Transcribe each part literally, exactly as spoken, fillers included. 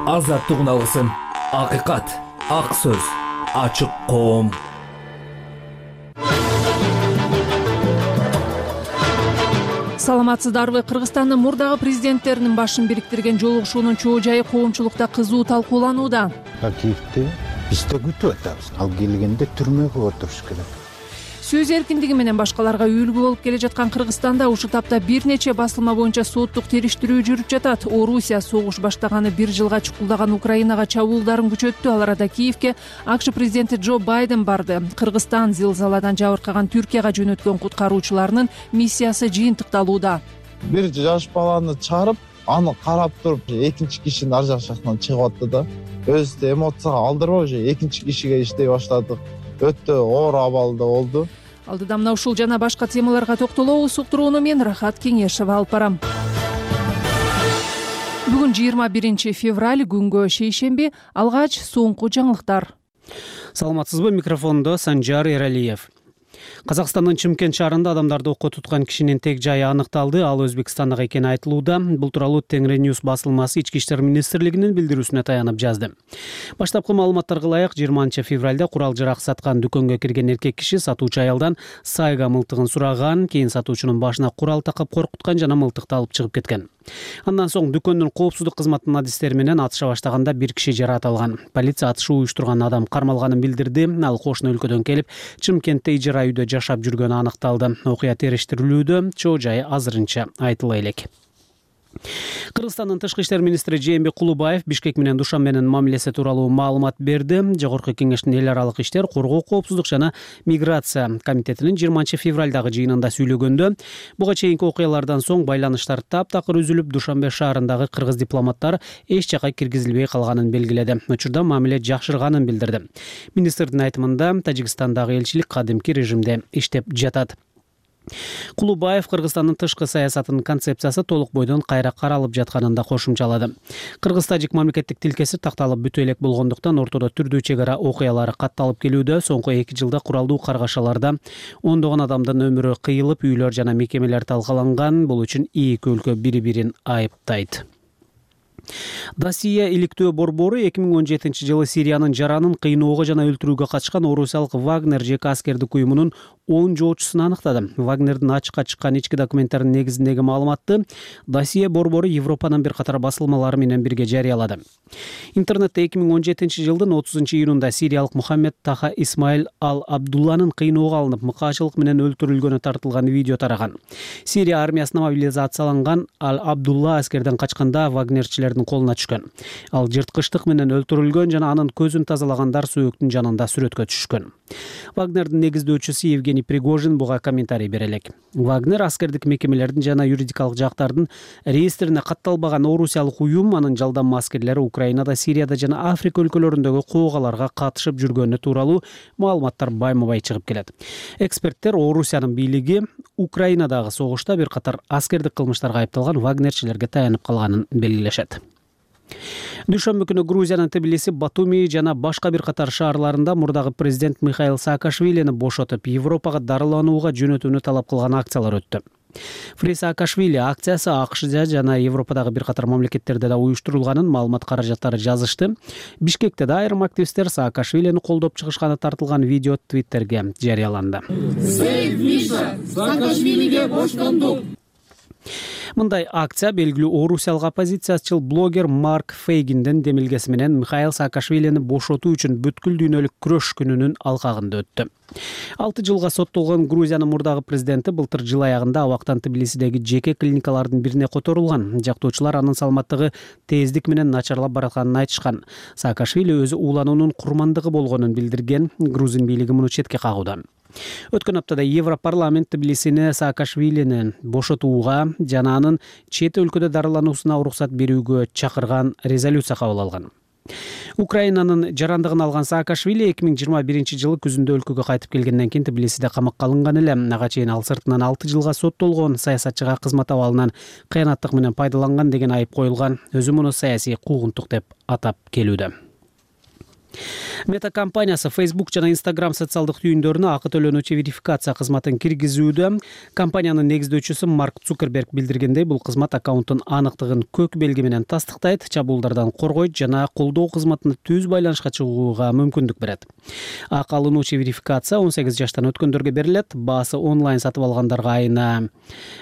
Азаттыгын алгысың. Акыйкат, ак сөз, ачык коом. Саламатсыздарбы? Кыргызстандын мурдагы президенттеринин башын бириктирген жолугушуунун чоо жайы коомчулукта кызуу талкууланууда. Киевде биз да күтүп атабыз. Ал келгенде түрмөгө отуруш керек. Сөз эркиндиги менен башкаларга үлгү болуп келе жаткан Кыргызстанда ушул тапта бир нече басылма боюнча соттук териштирүү жүрүп жатат. Орусия согуш баштаганы бир жылга чукулдаган Украинага чабуулдарын күчөттү. Ал арада Киевге АКШ президенти Джо Байден барды. Кыргызстан зилзаладан жабыркаган Түркияга жөнөткөн куткаруучуларынын миссиясы жыйынтыкталууда. Бир жаш баланы чыгарып, аны карап туруп, экинчи кишинин ар жак жактан чыгып атты да. Өзүбүздү эмоцияга алдырбай, уже экинчи кишиге иштей баштадык. Өтө оор абалда болду. Алдыда мына ушул жана башка темаларга токтолобуз. Уктурууну мен Рахат Кеңешева алып барам. Бүгүн жыйырма биринчи февраль, күнгө шейшемби. Алгач соңку жаңылыктар. Саламатсызбы? Микрофондо Санжар Эралиев. Казакстандын Чымкент шаарында адамдарды окко туткан кишинин тег жайы аныкталды. Ал Өзбекстандагы экени айтылууда. Бул тууралуу Тенгриньюс басылмасы Ички иштер министрлигинин билдирүүсүнө таянып жазды. Баштапкы маалыматтарга ылайык жыйырманчы февралда курал жарак саткан дүкөнгө кирген эркек киши сатуучу аялдан сайга мылтыгын сураган, кийин сатуучунун башына курал такап коркуткан жана мылтыкты алып чыгып кеткен. Андан соң дүкөндүн коопсуздук кызматынын адистери менен атыша баштаганда бир киши жаратылган. Полиция атышы уюштурган адам кармалганын билдирди. Ал кошуна өлкөдөн келип, Чымкентте ижара үйдө жашап жүргөнү аныкталды. Окуя териштирилүүдө, чоо жайы азырынча айтыла элек. Кыргызстандын тышкы иштер министри Жээнбек Кулубаев Бишкек менен Душанбенин мамилеси тууралуу маалымат берди. Жогорку кеңештин эл аралык иштер, коргоо, коопсуздук жана миграция комитетинин жыйырманчы февралдагы жыйынында сүйлөгөндө, буга чейинки окуялардан соң байланыштар таптакыр үзүлүп, Душанбе шаарындагы кыргыз дипломаттар эч жака киргизилбей калганын белгиледи. Учурда мамиле жакшырганын билдирди. Министрдин айтымында, Тажикстандагы элчилик кадимки режимде иштеп жатат. Кулубаев Кыргызстандын тышкы саясатынын концепциясы толук бойдон кайра каралып жатканын да кошумчалады. Кыргыз-тажик мамлекеттик тилкеси такталып бүтө элек болгондуктан ортодо түрдүү чек ара окуялары катталып келүүдө. Соңку эки жылда куралдуу каргашаларда ондогон адамдын өмүрү кыйылып, үйлөр жана мекемелер талкаланган. Бул үчүн эки өлкө бири-бирин айыптайт. Досия иликтөө борбору эки миң он жетинчи жылы Сириянын жаранын кыйноого жана өлтүрүүгө катышкан орусиялык Вагнер жеке аскердик уюмунун он жоочусун аныктады. Вагнердин ачыкка чыккан ички документтарынын негизиндеги маалыматты Досия борбору Европанын бир катар басылмалары менен бирге жарыялады. Интернетте эки миң он жетинчи жылдын отузунчу июнунда сириялык Мухаммед Таха Исмаил Ал-Абдулланын кыйноого алынып, мыкаачылык менен өлтүрүлгөнү тартылган видео тараган. Сирия армиясына мобилизацияланган Ал-Абдулла аскерден качканда вагнерчилердин колуна түшкөн. Ал жырткычтык менен өлтүрүлгөн жана анын көзүн тазалагандар сөөктүн жанында сүрөткө түшкөн. Вагнердин негиздөөчүсү Евгений Пригожин буга комментарий бере элек. Вагнер аскердик мекемелердин жана юридикалык жактардын реестрине катталбаган орусиялык уюм, анын жалданма аскерлери Украинада, Сирияда жана Африка өлкөлөрүндөгү куугаларга катышып жүргөнү тууралуу маалыматтар байма-бай чыгып келет. Эксперттер Орусиянын бийлиги Украинадагы согушта бир катар аскердик кылмыштарга айыпталган вагнерчилерге таянып калганын белгилешет. Дүйшөмбү күнү Грузиянын Тбилиси, Батуми жана башка бир катар шаарларында мурдагы президент Михаил Саакашвилини бошотуп, Европага дарыланууга жөнөтүүнү талап кылган акциялар өттү. Фри Саакашвили акциясы АКШда жана Европадагы бир катар мамлекеттерде да уюштурулганын маалымат каражаттары жазышты. Бишкекте да айрым активисттер Саакашвилини колдоп чыгышканы тартылган видео Твиттерге жарыяланды. Саакашвилиге боштондук. Мындай акция белгилүү орусиялык оппозициячыл блогер Марк Фейгиндин демилгеси менен Михаил Саакашвилини бошотуу үчүн бүткүл дүйнөлүк күрөш күнүнүн алкагында өттү. алты жылга соттолгон Грузиянын мурдагы президенти былтыр жыл аягында абактан Тбилисидеги жеке клиникалардын бирине которулган. Жактоочулар анын саламаттыгы тездик менен начарлап баратканын айтышкан. Саакашвили өзү уулануунун курмандыгы болгонун билдирген. Грузин бийлиги муну четке кагууда. Өткөн аптада Европарламент Тбилисини Саакашвилини бошотууга жана анын чет өлкөдө дарылануусуна уруксат берүүгө чакырган резолюция кабыл алган. Украинанын жарандыгын алган Саакашвили эки миң жыйырма биринчи жылы күзүндө өлкөгө кайтып келгенден кийин Тбилисиде камакка алынган эле. Ага чейин ал сыртынан алты жылга соттолгон, саясатчыга кызмат абалынан кыянаттык менен пайдаланган деген айып коюлган. Өзү муну саясий куугунтук деп атап келүүдө. Мета компаниясы Facebook жана Instagram социалдык түйүндөрүнө акы төлөнүүчү верификация кызматын киргизүүдө. Компаниянын негиздөөчүсү Марк Цукерберг билдиргендей, бул кызмат аккаунттун аныктыгын көк белги менен тастыктайт, чабуулдардан коргойт жана колдоо кызматына түз байланышка чыгууга мүмкүндүк берет. Акы алынуучу верификация он сегиз жаштан өткөндөргө берилет. Баасы онлайн сатып алгандарга айына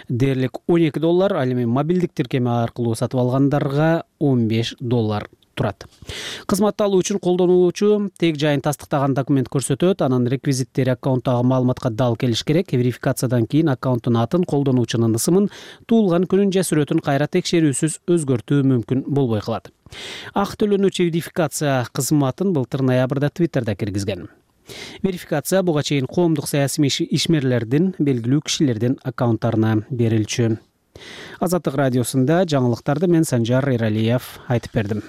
дээрлик он эки доллар, ал эми мобилдик тиркеме аркылуу сатып алгандарга он беш доллар турат. Кызматты алуу үчүн колдонуучу тег жайын тастыктаган документ көрсөтөт, анын реквизиттери аккаунттагы маалыматка дал келиш керек. Верификациядан кийин аккаунттун атын, колдонуучунун ысымын, туулган күнүн же сүрөтүн кайра текшерүүсүз өзгөртүү мүмкүн болбой калат. Акы төлөнүүчү верификация кызматын былтыр ноябрда Twitterда киргизген. Верификация буга чейин коомдук саясий ишмерлердин, белгилүү кишилердин аккаунттарына берилчү. Азаттык радиосунда жаңылыктарды мен Санжар Эралиев айтып бердим.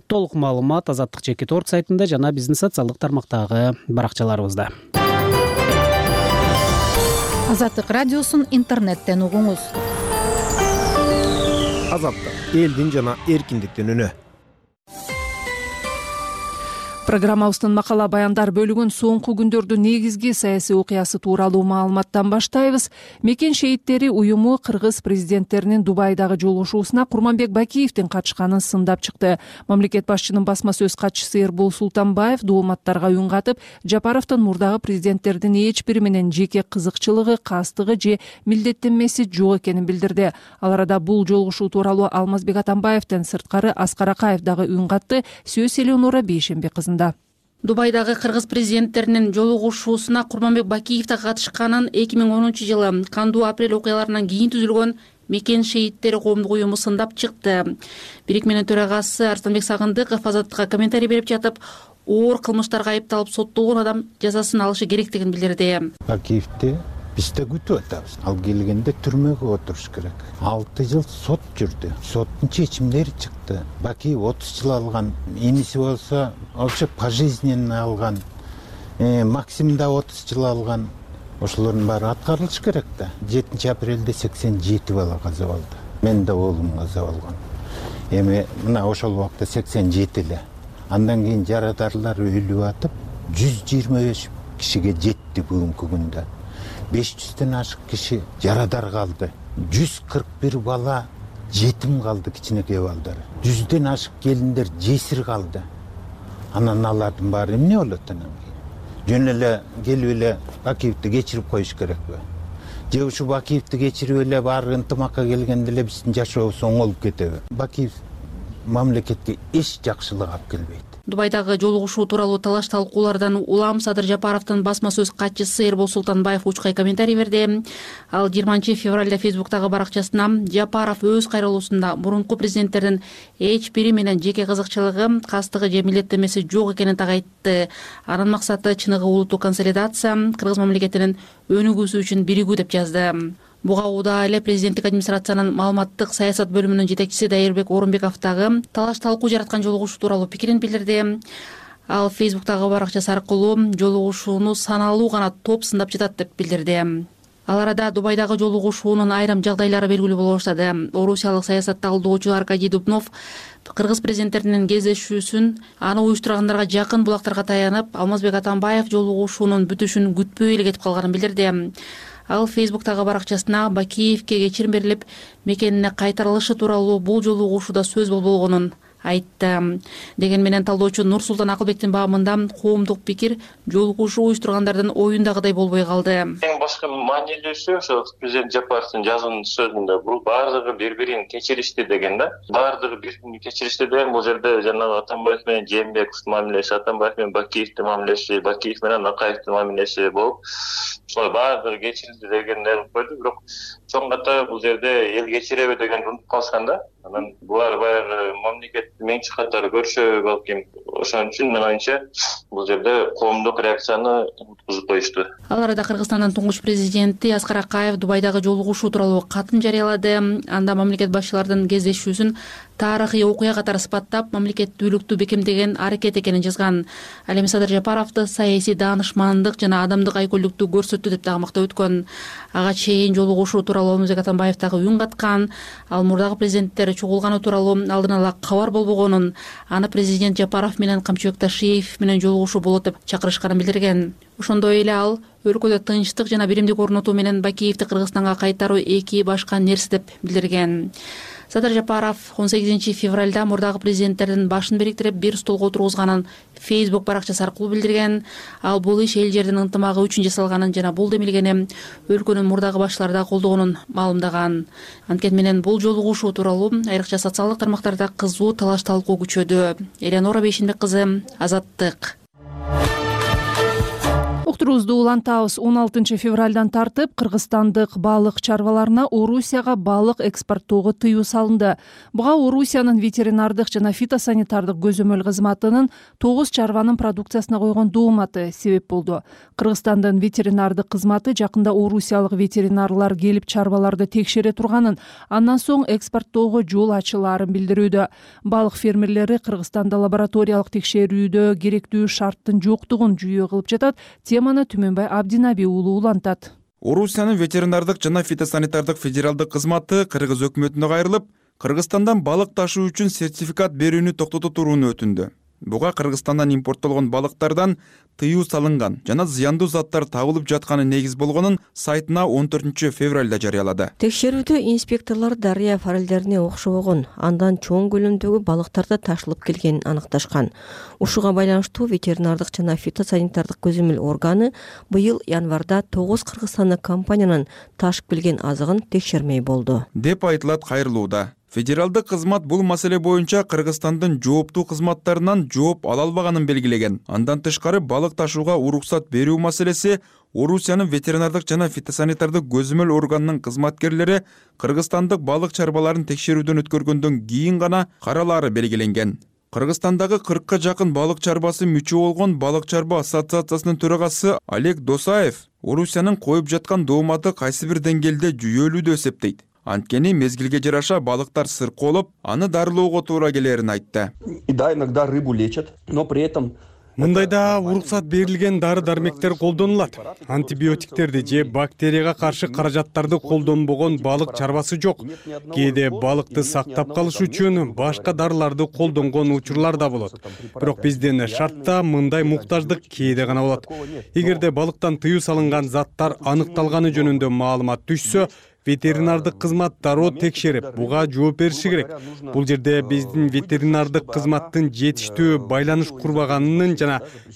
Толук маалымат Азаттык жеке торт сайтында жана биздин социалдык тармактагы баракчаларыбызда. Азаттык радиосун интернеттен угуңуз. Азаттык элдин жана эркиндиктин үнү. Программабыздын макала баяндар бөлүгүн соңку күндөрдүн негизги саясий окуясы тууралуу маалыматтан баштайбыз. Мекен шейиттери уюму кыргыз президенттеринин Дубайдагы жолугушуусуна Курманбек Бакиевдин катышканын сындап чыкты. Мамлекет башчынын басма сөз катчысы Эрбол Султанбаев дуулматтарга үн катып, Жапаровдун мурдагы президенттердин эч бири менен жеке кызыкчылыгы, кастыгы же милдеттенмеси жок экенин билдирди. Ал арада бул жолугушуу тууралуу Алмазбек Атамбаевден сырткары Аскар Акаев дагы үн катты. Сөз Элеонора Бейшембек кызында. Дубайдагы кыргыз президенттеринин жолугушуусуна Курманбек Бакиев да катышканын эки миң онунчу жылы кандуу апрель окуяларынан кийин түзүлгөн Мекен шейиттери коомдук уюму сындап чыкты. Бирикменин төрагасы Арсланбек Сагындыков Азаттыкка комментарий берип жатып, оор кылмыштарга айыпталып соттолгон адам жазасын алышы керектигин билдирди. Бакиевди биз да күтүп атабыз. Ал келгенде түрмөгө отуруш керек. алты жыл сот жүрдү. Соттун чечимдери чыкты. Бакиев отуз жыл алган, иниси болсо вообще пожизненно алган. Э, Максим да отуз жыл алган. Ошолордун баары аткарылыш керек да. жетинчи апрелде сексен жети бала каза болду. Мен да оолум каза болгон. Эми мына ошол убакта сексен жети эле. Андан кийин жарадарлар өлүп атып, жүз жыйырма беш кишиге жетти бүгүнкү күндө. беш жүздөн ашык киши жарадар калды. жүз кырк бир бала жетим калды, кичинекей балдар. жүздөн ашык келиндер жесир калды. Анан алардын баары эмне болот анан кийин? Жөн эле келип эле Бакиевди кечирип коюш керекпи? Же ушу Бакиевди кечирип эле баары ынтымакка келгенде эле биздин жашообуз оңолуп кетеби? Бакиев мамлекетке эч жакшылык алып келбейт. Дубайдагы жолугушуу тууралуу талаш талкуулардан улам Садыр Жапаровдун басма сөз катчысы Эрбол Султанбаев учкай комментарий берди. Ал жыйырманчы февралда Фейсбуктагы баракчасына Жапаров өз кайрылуусунда мурунку президенттердин эч бири менен жеке кызыкчылыгы, кастыгы же милдеттенмеси жок экенин так айтты. Анын максаты чыныгы улуттук консолидация, кыргыз мамлекетинин өнүгүүсү үчүн биригүү деп жазды. Буга удаа эле президенттик администрациянын маалыматтык саясат бөлүмүнүн жетекчиси Дайырбек Орунбеков дагы талаш талкуу жараткан жолугушуу тууралуу пикирин билдирди. Ал Фейсбуктагы баракчасы аркылуу жолугушууну саналуу гана топ сындап жатат деп билдирди. Ал арада Дубайдагы жолугушуунун айрым жагдайлары белгилүү боло баштады. Орусиялык саясат талдоочу Аркадий Дубнов кыргыз президенттеринин кездешүүсүн аны уюштургандарга жакын булактарга таянып, Алмазбек Атамбаев жолугушуунун бүтүшүн күтпөй эле кетип калганын билдирди. Ал Фейсбуктагы баракчасына Бакиевке кечирим берилип, мекенине кайтарылышы тууралуу бул жолугушууда сөз болбогонун айтты. Деген менен талдоочу Нурсултан Акылбектин баамында коомдук пикир жолугушуу уюштургандардын оюндагыдай болбой калды. Эң башкы маанилүүсү ошо президент Жапаровдун жазган сөзүндө бул баардыгы бири-бирин кечиришти деген да. Баардыгы бири-бирин кечиришти деген бул жерде жанагы Атамбаев менен Жээнбековдун мамилеси, Атамбаев менен Бакиевдин мамилеси, Бакиев менен Акаевдин мамилеси болуп, ошо баардыгы кечирилди дегендер койду. Бирок чоң ката бул жерде эл кечиреби деген унутуп калышкан да. Анан булар баягы мамлекет менчи катары көрүшө балким. Ошон үчүн мен оюмча бул жерде коомдук реакцияны уткузуп коюшту. Ал арада Кыргызстандын туңгуч президенти Аскар Акаев Дубайдагы жолугушуу тууралуу катын жарыялады. Анда мамлекет башчыларынын кездешүүсүн тарыхый окуя катары сыпаттап, мамлекеттүүлүктү бекемдеген аракет экенин жазган. Ал эми Садыр Жапаровду саясий даанышмандык жана адамдык айкөлдүктү көрсөттү деп дагы мактап өткөн. Ага чейин жолугушуу тууралуу тууралуу Алмазбек Атамбаев дагы үн каткан. Ал мурдагы президенттер чогулганы тууралуу алдын ала кабар болбогонун, аны президент Жапаров менен Камчыбек Ташиев менен жолугушуу болот деп чакырышканын билдирген. Ошондой эле ал өлкөдө тынчтык жана биримдик орнотуу менен Бакиевди Кыргызстанга кайтаруу эки башка нерсе деп билдирген. Садыр Жапаров он сегизинчи февралда мурдагы президенттердин башын бириктирип бир столго отургузганын Facebook баракчасы аркылуу билдирген. Ал бул иш эл жердин ынтымагы үчүн жасалганын жана бул демилгени өлкөнүн мурдагы башчылары да колдогонун маалымдаган. Анткени менен бул жолугушуу тууралуу айрыкча социалдык тармактарда кызуу талаш талкуу күчөдү. Элеонора Бейшенбек кызы, Азаттык. Уктуруубузду улантабыз. он алтынчы февралдан тартып кыргызстандык балык чарбаларына Орусияга балык экспорттоого тыюу салынды. Буга Орусиянын ветеринардык жана фитосанитардык көзөмөл кызматынын тогуз чарбанын продукциясына койгон дооматы себеп болду. Кыргызстандын ветеринардык кызматы жакында орусиялык ветеринарлар келип чарбаларды текшере турганын, андан соң экспорттоого жол ачылаарын билдирүүдө. Балык фермерлери Кыргызстанда лабораториялык текшерүүдө керектүү шарттын жоктугун жүйө кылып жатат. Теманы Түмөнбай Абдинаби уулу улантат. Орусиянын ветеринардык жана фитосанитардык федералдык кызматы Кыргыз өкмөтүнө кайрылып, Кыргызстандан балык ташуу үчүн сертификат берүүнү токтото турууну өтүндү. Буга Кыргызстандан импорттолгон балыктардан тыюу салынган жана зыяндуу заттар табылып жатканы негиз болгонун сайтына он төртүнчү февралда жарыялады. Текшерүүдө инспекторлор дарыя форелдерине окшобогон, андан чоң көлөмдөгү балыктарда ташылып келгенин аныкташкан. Ушуга байланыштуу ветеринардык жана фитосанитардык көзөмөл органы быйыл январда тогуз кыргызстандык компаниянын ташып келген азыгын текшермей болду деп айтылат кайрылууда. Федералдык кызмат бул маселе боюнча Кыргызстандын жооптуу кызматтарынан жооп ала албаганын белгилеген. Андан тышкары балык ташууга уруксат берүү маселеси Орусиянын ветеринардык жана фитосанитардык көзөмөл органынын кызматкерлери Кыргызстандык балык чарбаларын текшерүүдөн өткөргөндөн кийин гана каралаары белгиленген. Кыргызстандагы кыркка жакын балык чарбасы мүчө болгон балык чарба ассоциациясынын төрагасы Олег Досаев Орусиянын коюп жаткан дооматы кайсы бир деңгээлде жүйөлүү деп эсептейт. Анткени мезгилге жараша балыктар сыркоолоп, аны дарылоого туура келерин айтты. И да, иногда рыбу лечат, но при этом мындайда уруксат берилген дары-дармектер колдонулат. Антибиотиктерди же бактерияга каршы каражаттарды колдонбогон балык чарбасы жок. Кээде балыкты сактап калыш үчүн башка дарыларды колдонгон учурлар да болот. Бирок биздин шартта мындай муктаждык кээде гана болот. Эгерде балыктан тыюу салынган заттар аныкталганы жөнүндө маалымат түшсө, ветеринардык кызмат дароо текшерип, буга жооп бериши керек. Бул жерде биздин ветеринардык кызматтын жетиштүү байланыш курбаганын жана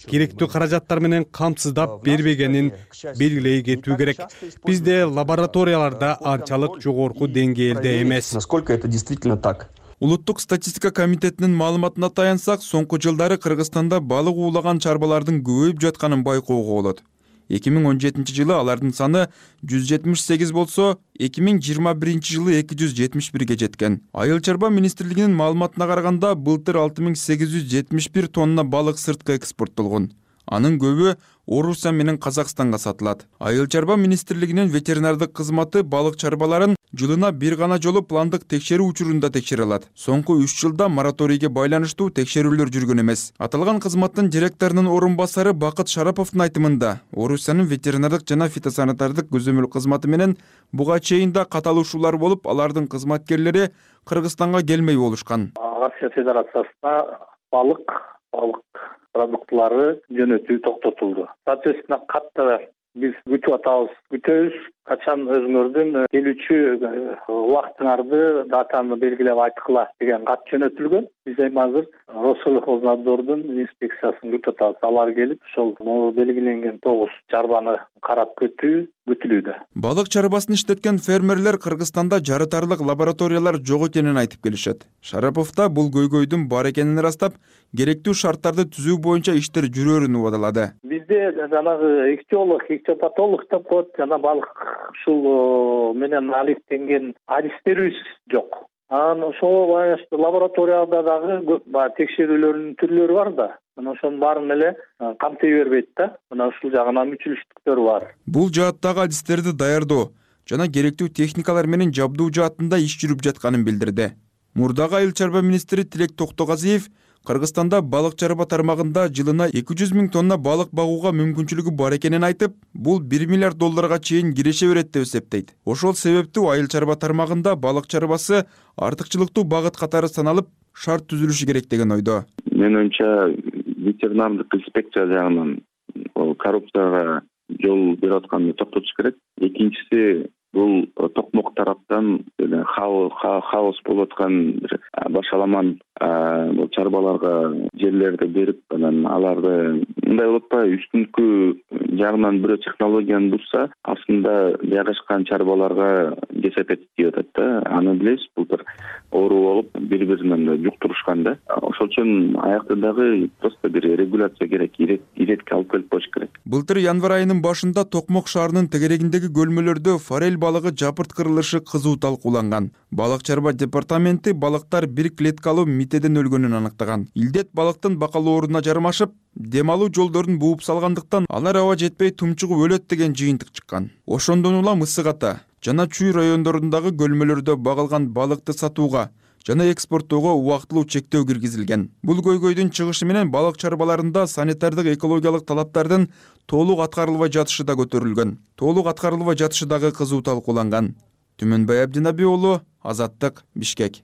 керектүү каражаттар менен камсыздап бербегенин белгилей кетүү керек. Бизде лабораторияларда анчалык жогорку деңгээлде эмес. Насколько это действительно так? Улуттук статистика комитетинин маалыматына таянсак, соңку жылдары Кыргызстанда балык уулаган чарбалардын көбөйүп жатканын байкоого болот. эки миң он жетинчи жылы алардын саны жүз жетимиш сегиз болсо, эки миң жыйырма биринчи жылы эки жүз жетимиш бирге жеткен. Айыл чарба министрлигинин маалыматына караганда, былтыр алты миң сегиз жүз жетимиш бир тонна балык сыртка экспорттолгон. Анын көбү Орусия менен Казакстанга сатылат. Айыл чарба министрлигинин ветеринардык кызматы балык чарбаларын жылына бир гана жолу пландык текшерүү учурунда текшере алат. Соңку үч жылда мораторийге байланыштуу текшерүүлөр жүргөн эмес. Аталган кызматтын директорунун орун басары Бакыт Шараповдун айтымында, Орусиянын ветеринардык жана фитосанитардык көзөмөл кызматы менен буга чейин да каталышуулар болуп, алардын кызматкерлери Кыргызстанга келмей болушкан. Россия Федерациясына балык, балык продуктлары жөнөтүү токтотулду. Соответственно, катты биз күтүп атабыз, күтөбүз. Качан өзүңөрдүн келүүчү убактыңарды, датаны белгилеп айткыла деген кат жөнөтүлгөн. Биз эми азыр Россельхознадзордун инспекциясын күтүп атабыз. Алар келип, ошол белгиленген тогуз чарбаны карап кетүү күтүлүүдө. Балык чарбасын иштеткен фермерлер Кыргызстанда жарытарлык лабораториялар жок экенин айтып келишет. Шарапов да бул көйгөйдүн бар экенин ырастап, керектүү шарттарды түзүү боюнча иштер жүрөрүн убадалады. Бизде жанагы ихтиолог, ихтиопатолог деп коет, жана балык ушул менен алектенген адистерибиз жок. Анан ошого байланыштуу лабораторияда дагы текшерүүлөрдүн түрлөрү бар да. Мына ошонун баарын эле камтый бербейт да. Мына ушул жагынан мүчүлүштүктөр бар. Бул жааттагы адистерди даярдоо жана керектүү техникалар менен жабдуу жаатында иш жүрүп жатканын билдирди. Мурдагы айыл чарба министри Тилек Токтогазиев Кыргызстанда балык чарба тармагында жылына эки жүз миң тонна балык багууга мүмкүнчүлүгү бар экенин айтып, бул бир миллиард долларга чейин киреше берет деп эсептейт. Ошол себептүү айыл чарба тармагында балык чарбасы артыкчылыктуу багыт катары саналып, шарт түзүлүшү керек деген ойдо. Менин оюмча, ветеринардык инспекция жагынан коррупцияга жол берип атканды токтотуш керек. Экинчиси, бул токмок тараптан хаос болуп аткан бир башаламан бул чарбаларга жерлерди берип, анан аларды мындай болуп атпайбы, үстүнкү жагынан бирөө технологияны бузса, астында жайгашкан чарбаларга кесепет тийип атат да. Аны билебиз, былтыр оору болуп, бири-биринен жуктурушкан да. Ошол үчүн аякта дагы просто бир регуляция керек, иретке алып келип коюш керек. Былтыр январь айынын башында Токмок шаарынын тегерегиндеги көлмөлөрдө форель балыгы жапырткырылышы кызуу талкууланган. Балык чарба департаменти балыктар бир клеткалуу митеден өлгөнүн аныктаган. Илдет балыктын бакалооруна жармашып, дем алуу жолдорун бууп салгандыктан алар аба жетпей тумчугуп өлөт деген жыйынтык чыккан. Ошондон улам Ысык Ата жана Чүй райондорундагы көлмөлөрдө багылган балыкты сатууга жана экспорттоого убактылуу чектөө киргизилген. Бул көйгөйдүн чыгышы менен балык чарбаларында санитардык экологиялык талаптардын толук аткарылбай жатышы да көтөрүлгөн. Толук аткарылбай жатышы дагы кызуу талкууланган. Түмөнбай Абдинаби уулу, Азаттык, Бишкек.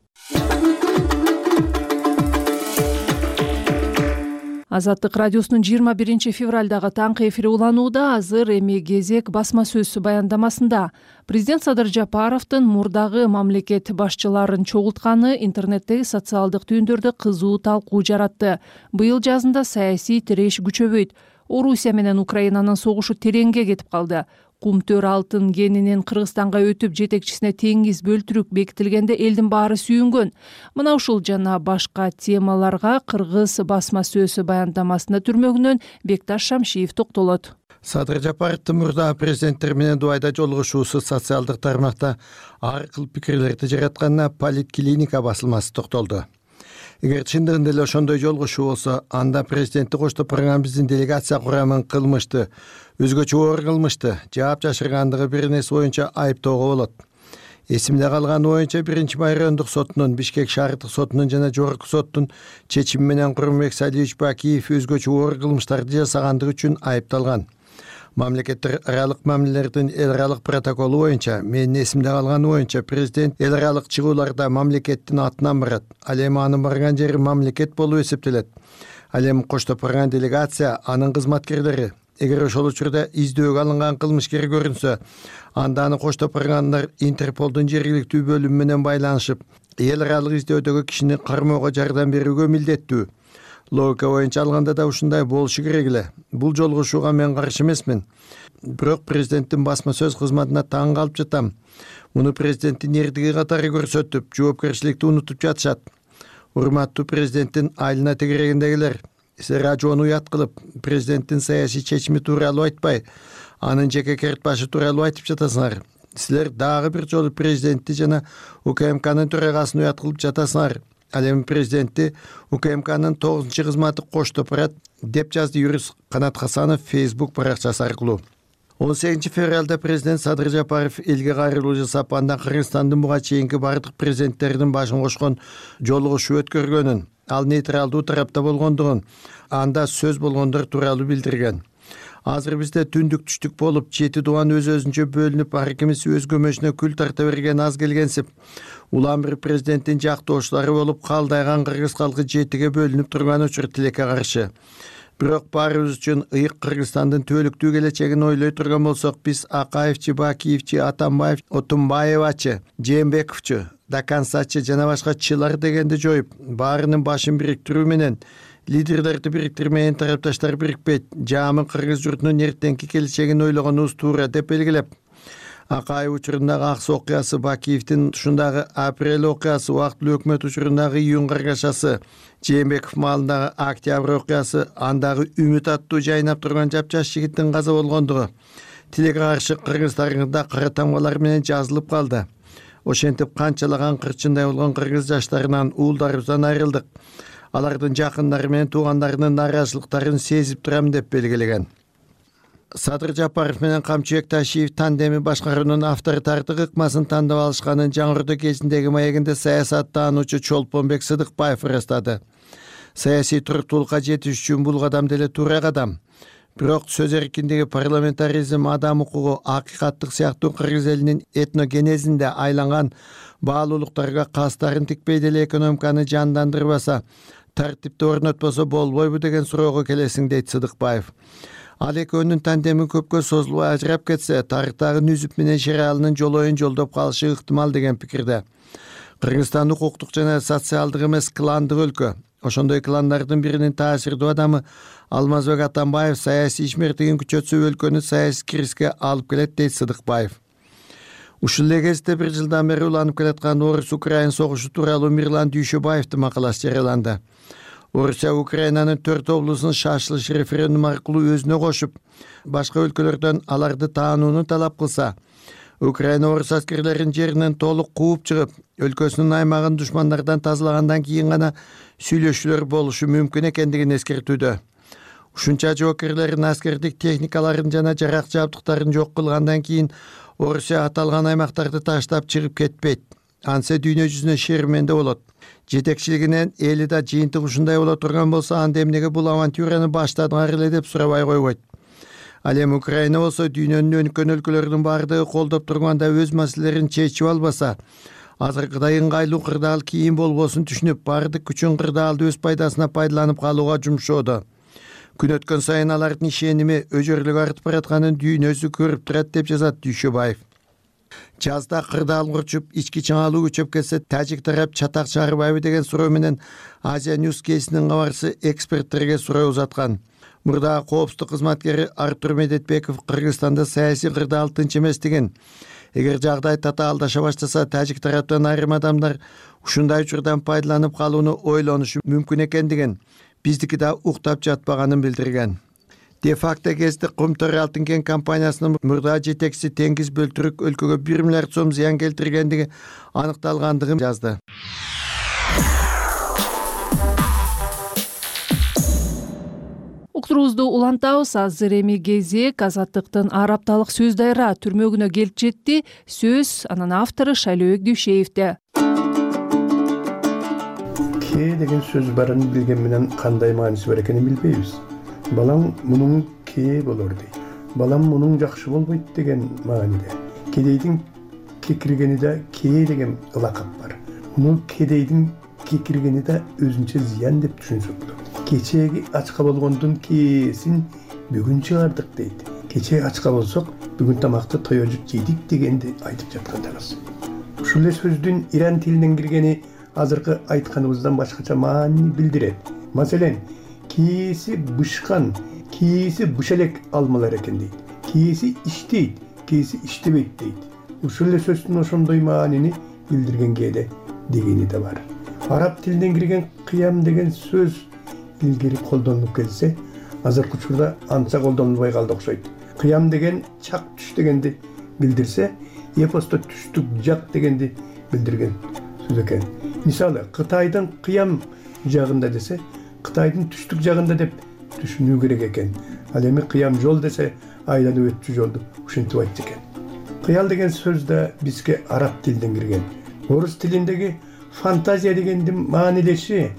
Азаттык радиосунун жыйырма биринчи февралдагы таңкы эфири уланууда. Азыр эми кезек басма сөз баяндамасында. Президент Садыр Жапаровдун мурдагы мамлекет башчыларын чогултканы интернеттеги социалдык түйүндөрдө кызуу талкуу жаратты. Быйыл жазында саясий тиреш күчөбөйт. Орусия менен Украинанын согушу тереңге кетип калды. Кумтөр алтын кенинен Кыргызстанга өтүп жетекчисине теңиз бөлтүрүк бекитилгенде элдин баары сүйүнгөн. Мына ушул жана башка темаларга кыргыз басма сөз баяндамасында түрмөгүнөн Бекташ Шамшиев токтолот. Садыр Жапаровдун мурдагы президенттер менен Дубайда жолугушуусу социалдык тармакта ар кыл пикирлерди жаратканына Политклиника басылмасы токтолду. Эгер чындыгында эле ошондой жолугушуу болсо, анда президентти коштоп барган биздин делегация курамын кылмышты, өзгөчө оор кылмышты, жаап жашыргандыгы бир нерсе боюнча айыптоого болот. Эсимде калганы боюнча биринчи май райондук сотунун, Бишкек шаардык сотунун жана жогорку соттун чечими менен Курманбек Салиевич Бакиев өзгөчө оор кылмыштарды жасагандыгы үчүн айыпталган. Мамлекеттер аралык мамилелердин эл аралык протоколу боюнча, менин эсимде калганы боюнча, президент эл аралык чыгууларда мамлекеттин атынан барат. Ал эми анын барган жери мамлекет болуп эсептелет. Ал эми коштоп барган делегация, анын кызматкерлери. Эгер ошол учурда издөөгө алынган кылмышкер көрүнсө, анда аны коштоп баргандар Интерполдун жергиликтүү бөлүмү менен байланышып, эл аралык издөөдөгү кишини кармоого жардам берүүгө милдеттүү. Логика боюнча алганда да ушундай болушу керек эле. Бул жолугушууга мен каршы эмесмин. Бирок президенттин басма сөз кызматына таң калып жатам. Муну президенттин эрдиги катары көрсөтүп, жоопкерчиликти унутуп жатышат. Урматтуу президенттин айылына тегерегиндегилер, силер ажоону уят кылып, президенттин саясий чечими тууралуу айтпай, анын жеке керт башы тууралуу айтып жатасыңар. Силер дагы бир жолу президентти жана УКМКнын төрагасын уят кылып жатасыңар. Ал эми президентти УКМКнын тогузунчу кызматы коштоп барат, деп жазды юрист Канат Хасанов Facebook баракчасы аркылуу. он сегизинчи февралда президент Садыр Жапаров элге кайрылуу жасап, андан Кыргызстандын буга чейинки бардык президенттердин башын кошкон жолугушуу өткөргөнүн, ал нейтралдуу тарапта болгондугун, анда сөз болгондор тууралуу билдирген. Азыр бизде түндүк түштүк болуп, жети дубан өз өзүнчө бөлүнүп, ар кимиси өз көмөшүнө күл тарта берген аз келгенсип, улам бир президенттин жактоочулары болуп, калдайган кыргыз калкы жетиге бөлүнүп турган учур тилекке каршы. Бирок баарыбыз үчүн ыйык Кыргызстандын түбөлүктүү келечегин ойлой турган болсок, биз Акаевчи, Бакиевчи, Атамбаев, Отунбаевачы, Жээнбековчу, Дакансачы жана башка чылар дегенди жоюп, баарынын башын бириктирүү менен лидерлерди бириктирмеген тарапташтар бирикпейт, жамы кыргыз журтунун эртеңки келечегин ойлогонубуз туура деп белгилеп, Акаев учурундагы Аксы окуясы, Бакиевдин ушундагы Апрель окуясы, убактылуу өкмөт учурундагы Июнь каргашасы, Жээнбеков маалындагы Октябрь окуясы, андагы Үмүт аттуу жайнап турган жапжаш жигиттин каза болгондугу тилекке каршы кыргыз тарыхында кара тамгалар менен жазылып калды. Ошентип канчалаган кырчындай болгон кыргыз жаштарынан, уулдарыбыздан айрылдык. Алардын жакындары менен туугандарынын нааразычылыктарын сезип турам деп белгилеген. Садыр Жапаров менен Камчыбек Ташиев тандеми башкаруунун авторитардык ыкмасын тандап алышканын Жаңырды кезиндеги маегинде саясаттануучу Чолпонбек Сыдыкбаев ырастады. саясий туруктуулукка жетиш үчүн бул кадам деле туура кадам. Бирок сөз эркиндиги, парламентаризм, адам укугу, акыйкаттык сыяктуу кыргыз элинин этногенезинде айланган баалуулуктарга кастарын тикпей деле экономиканы жандандырбаса, тартипти орнотпосо болбойбу деген суроого келесиң, дейт Сыдыкбаев. Ал экөөнүн тандеми көпкө созулуп ажырап кетсе, тарыктагы Нүзүп менен Шералынын жолоюн жолдоп калышы ыктымал деген пикирде. Кыргызстан укуктук жана социалдык эмес кландык өлкө. Ошондой кландардын биринин таасирдүү адамы Алмазбек Атамбаев саясий ишмердигин күчөтсө өлкөнү саясий кризиске алып келет, дейт Сыдыкбаев. Ушул эле кезде бир жылдан бери уланып келаткан Орус-Украин согушу тууралуу Мирлан Дүйшөбаевдин макаласы жарыяланды. Орусия Украинанын төрт облусун шашылыш референдум аркылуу өзүнө кошуп, башка өлкөлөрдөн аларды таанууну талап кылса, Украина орус аскерлерин жеринен толук кууп чыгып, өлкөсүнүн аймагын душмандардан тазалагандан кийин гана сүйлөшүүлөр болушу мүмкүн экендигин эскертүүдө. Ушунча жоокерлерин, аскердик техникаларын жана жарак жабдыктарын жок кылгандан кийин Орусия аталган аймактарды таштап чыгып кетпейт. Ансе дүйнө жүзүнө шерменде болот. Жетекчилигинен эли да жыйынтык ушундай боло турган болсо, анда эмнеге бул авантюраны баштадыңар эле деп сурабай койбойт. Ал эми Украина болсо дүйнөнүн өнүккөн өлкөлөрүнүн баардыгы колдоп турганда өз маселелерин чечип албаса, азыркыдай ыңгайлуу кырдаал кийин болбосун түшүнүп, баардык күчүн кырдаалды өз пайдасына пайдаланып калууга жумшоодо. Күн өткөн сайын алардын ишеними өжөрлүк артып баратканын дүйнөсү көрүп турат, деп жазат Дүйшөбаев. Жазда кырдаал урчуп, ички чыңалуу күчөп кетсе, тажик тарап чатак чыгарбайбы деген суроо менен Азия Ньюс кейсинин кабарчысы эксперттерге суроо узаткан. Мурдагы коопсуздук кызматкери Артур Медетбеков Кыргызстанда саясий кырдаал тынч эместигин, эгер жагдай татаалдаша баштаса, тажик тараптан айрым адамдар ушундай учурдан пайдаланып калууну ойлонушу мүмкүн экендигин, биздики да уктап жатпаганын билдирген. Де-факто кезде Кумтөр Алтын кен компаниясынын мурда жетекчиси Теңиз Бөлтүрүк өлкөгө бир миллиард сом зыян келтиргендиги аныкталгандыгын жазды. Уктуруубузду улантабыз. Азыр эми кезек Азаттыктын ар апталык сөз дайра түрмөгүнө келип жетти. Сөз анын автору Шайлообек Дүйшеевде. Ке деген сөз барын билген менен кандай мааниси бар экенин билбейбиз. Балам мунун ке болор дейт. Балам мунун жакшы болбойт деген мааниде. Кедейдин кекиргени да ке деген ылакап бар. Муну кедейдин кекиргени да өзүнчө зыян деп түшүнсөк болот. Кечеги ачка болгондун кээсин бүгүн чыгардык дейт. Кече ачка болсок, бүгүн тамакты тоёжуп жейдик дегенди айтып жаткандабыз. Ушул эле сөздүн иран тилинен киргени азыркы айтканыбыздан башкача маани билдирет. Маселен, кээси бышкан, кээси бышелек алмалар экен дейт. Кээси иштейт, кээси иштебейт дейт. Ушул эле сөздүн ошондой маанини билдирген кээде дегени да бар. Араб тилинен кирген кыям деген сөз илгери колдонулуп келсе, азыркы учурда анча колдонулбай калды окшойт. Кыям деген чак түш дегенди билдирсе, эпосто түштүк жак дегенди билдирген сөз экен. Мисалы, Кытайдын кыям жагында десе, Кытайдын түштүк жагында деп түшүнүү керек экен. Ал эми кыям жол десе, айланып өтчү жолду ушинтип айтты экен. Кыял деген сөз да бизге араб тилинен кирген. Орус тилиндеги фантазия дегендин маанилеши,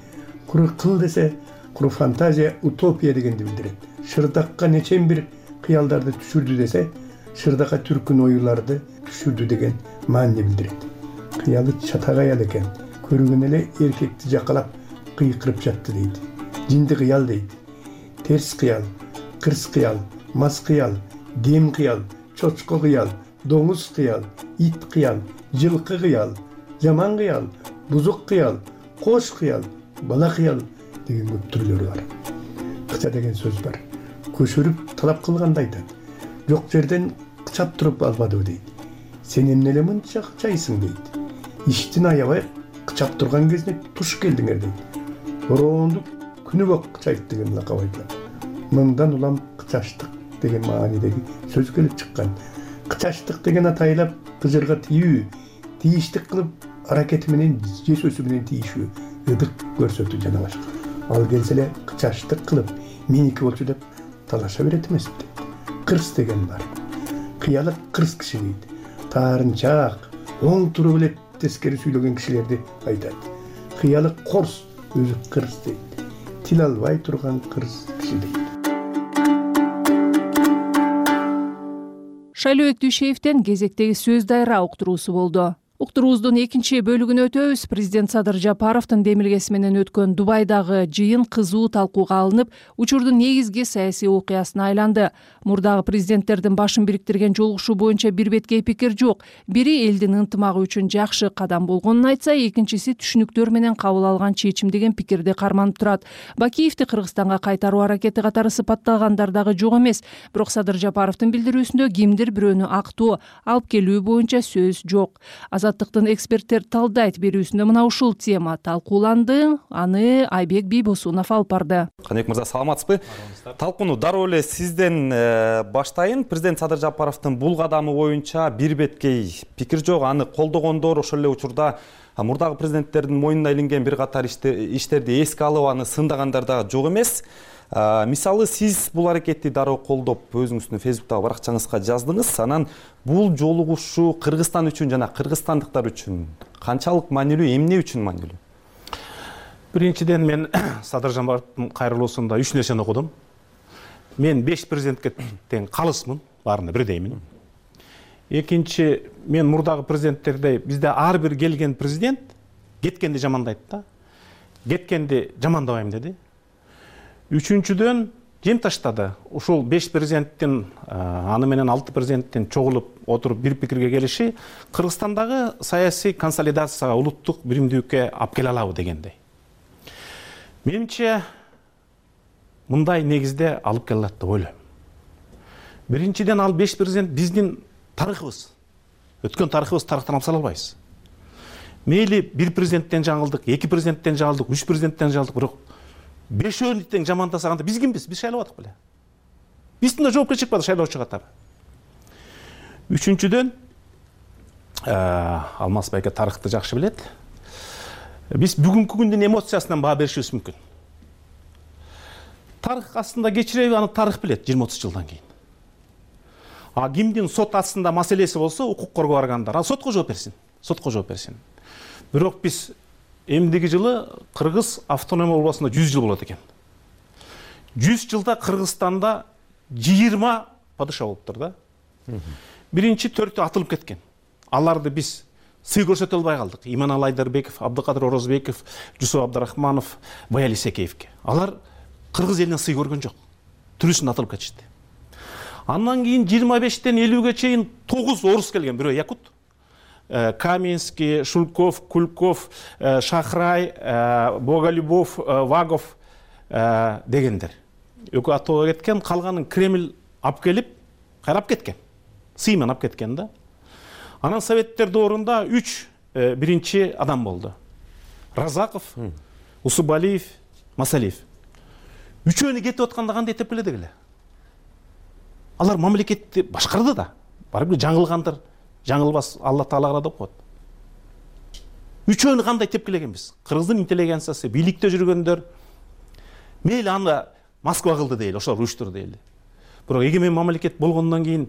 куру кыл десе, куру фантазия утопия дегенди билдирет. Шырдакка нечен бир кыялдарды түшүрдү десе, шырдакка түркүн оюларды түшүрдү деген маани билдирет. Кыялы чатак аял экен. Көргөн эле эркекти жакалап кыйкырып жатты дейт. Жинди кыял дейт. Терс кыял, кырс кыял, мас кыял, дем кыял, чочко кыял, доңуз кыял, ит кыял, жылкы кыял, жаман кыял, бузук кыял, кош кыял, бала кыял деген көп түрлөрү бар. Кыча деген сөз бар. Көшөрүп талап кылганда айтат. Жок жерден кычап туруп албадыбы дейт. Сен эмне эле мынча кычайсың дейт. Иштин аябай кычап турган кезине туш келдиңер дейт. Бороондук күнү бок кычайт деген лакап айтылат. Мындан улам кычаштык деген маанидеги сөз келип чыккан. Кычаштык деген атайлап кыжырга тийүү, тийиштик кылып аракети менен же сөзү менен тийишүү, ыдык көрсөтүү жана башка. Ал келсе эле кычаштык кылып, меники болчу деп талаша берет эмеспи? Кырс деген бар. Кыялык кырс киши дейт. Таарынчаак, оң туруп эле тескери сүйлөгөн кишилерди айтат. Кыялык корс өзү кырс дейт. тил албай турган кыргыз киши дейт. Шайлообек Дүйшеевден кезектеги сөз дайра уктуруусу болду. Уктуруубуздун экинчи бөлүгүнө өтөбүз. Президент Садыр Жапаровдун демилгеси менен өткөн Дубайдагы жыйын кызуу талкууга алынып, учурдун негизги саясий окуясына айланды. Мурдагы президенттердин башын бириктирген жолугушуу боюнча бир беткей пикир жок. Бири элдин ынтымагы үчүн жакшы кадам болгонун айтса, экинчиси түшүнүктөр менен кабыл алган чечим деген пикирди карманып турат. Бакиевди Кыргызстанга кайтаруу аракети катары сыпатталгандар дагы жок эмес. Бирок Садыр Жапаровдун билдирүүсүндө кимдир бирөөнү актоо алып келүү боюнча сөз жок. Азаттыктын эксперттер талдайт берүүсүндө мына ушул тема талкууланды. Аны Айбек Бийбосунов алып барды. Каныбек мырза, саламатсызбы? Талкууну дароо эле сизден баштайын. Президент Садыр Жапаровдун бул кадамы боюнча бир беткей пикир жок. Аны колдогондор ошол эле учурда мурдагы президенттердин мойнуна илинген бир катар иштерди эске алып аны сындагандар дагы жок эмес. Мисалы, сиз бул аракетти дароо колдоп, өзүңүздүн фейсбуктагы баракчаңызга жаздыңыз. Анан бул жолугушуу Кыргызстан үчүн жана кыргызстандыктар үчүн канчалык маанилүү, эмне үчүн маанилүү? Биринчиден, мен Садыр Жапаровдун кайрылуусунда үч нерсени окудум. Мен беш президентке тең калысмын, баарына бирдеймин. Экинчи, мен мурдагы президенттердей, бизде ар бир келген президент кеткенди жамандайт да. Кеткенди жамандабайм деди. Үчүнчүдөн, жем таштады. Ушул беш президенттин, аны менен алты президенттин чогулуп отуруп бир пикирге келиши Кыргызстандагы саясий консолидацияга, улуттук биримдүүлүккө алып келе алабы дегендей. Менимче, мындай негизде алып келе алат деп ойлойм. Биринчиден, ал беш президент биздин тарыхыбыз. Өткөн тарыхыбыз тарыхтан алып сала албайбыз. Мейли бир президенттен жаңылдык, эки президенттен жаңылдык, үч президенттен жаңылдык, бирок бешөөнү тең жамандасаганда биз кимбиз? Биз шайлап атык беле. Биздин да жоопкерчилик бар шайлоочу катары. Үчүнчүдөн, Алмаз байке тарыхты жакшы билет. Биз бүгүнкү күндүн эмоциясынан баа беришибиз мүмкүн. Тарых астында кечиреби, аны тарых билет жыйырма отуз жылдан кийин. А кимдин сот астында маселеси болсо, укук коргоо органдар, ал сотко жооп берсин. Сотко жооп берсин. Бирок биз эмдиги жылы Кыргыз автономия болбосунда жүз жыл болот экен. жүз жылда Кыргызстанда жыйырма падыша болуптур да. Биринчи төртү атылып кеткен. Аларды биз сый көрсөтө албай калдык. Иманалы Айдарбеков, Абдыкадыр Орозбеков, Жусуп Абдрахманов, Баяли Секеевке. Алар Кыргыз элинен сый көргөн жок. Түрүсүн атылып кетишти. Андан кийин жыйырма бештен элүүгө чейин тогуз орус келген, бирөө якут. Каменский, Шульков, Кульков, Шахрай, Боголюбов, Вагов дегендер. Экөө атоого кеткен, калганын Кремль алып келип, кайрап кеткен. Сыймен алып кеткен да. Анан советтер доорунда үч биринчи адам болду. Разаков, Усубалиев, Масалиев. Үчөөнү кетип атканда кандай этеп келе дегиле. Алар мамлекетти башкарды да. Барып жаңылгандар, жаңылбас Алла Таалага деп коет. Үчөөнү кандай тепкилегенбиз? Кыргыздын интеллигенциясы, бийликте жүргөндөр мейли аны Москва кылды дейли, ошолор уюштурду дейли. Бирок эгемен мамлекет болгондон кийин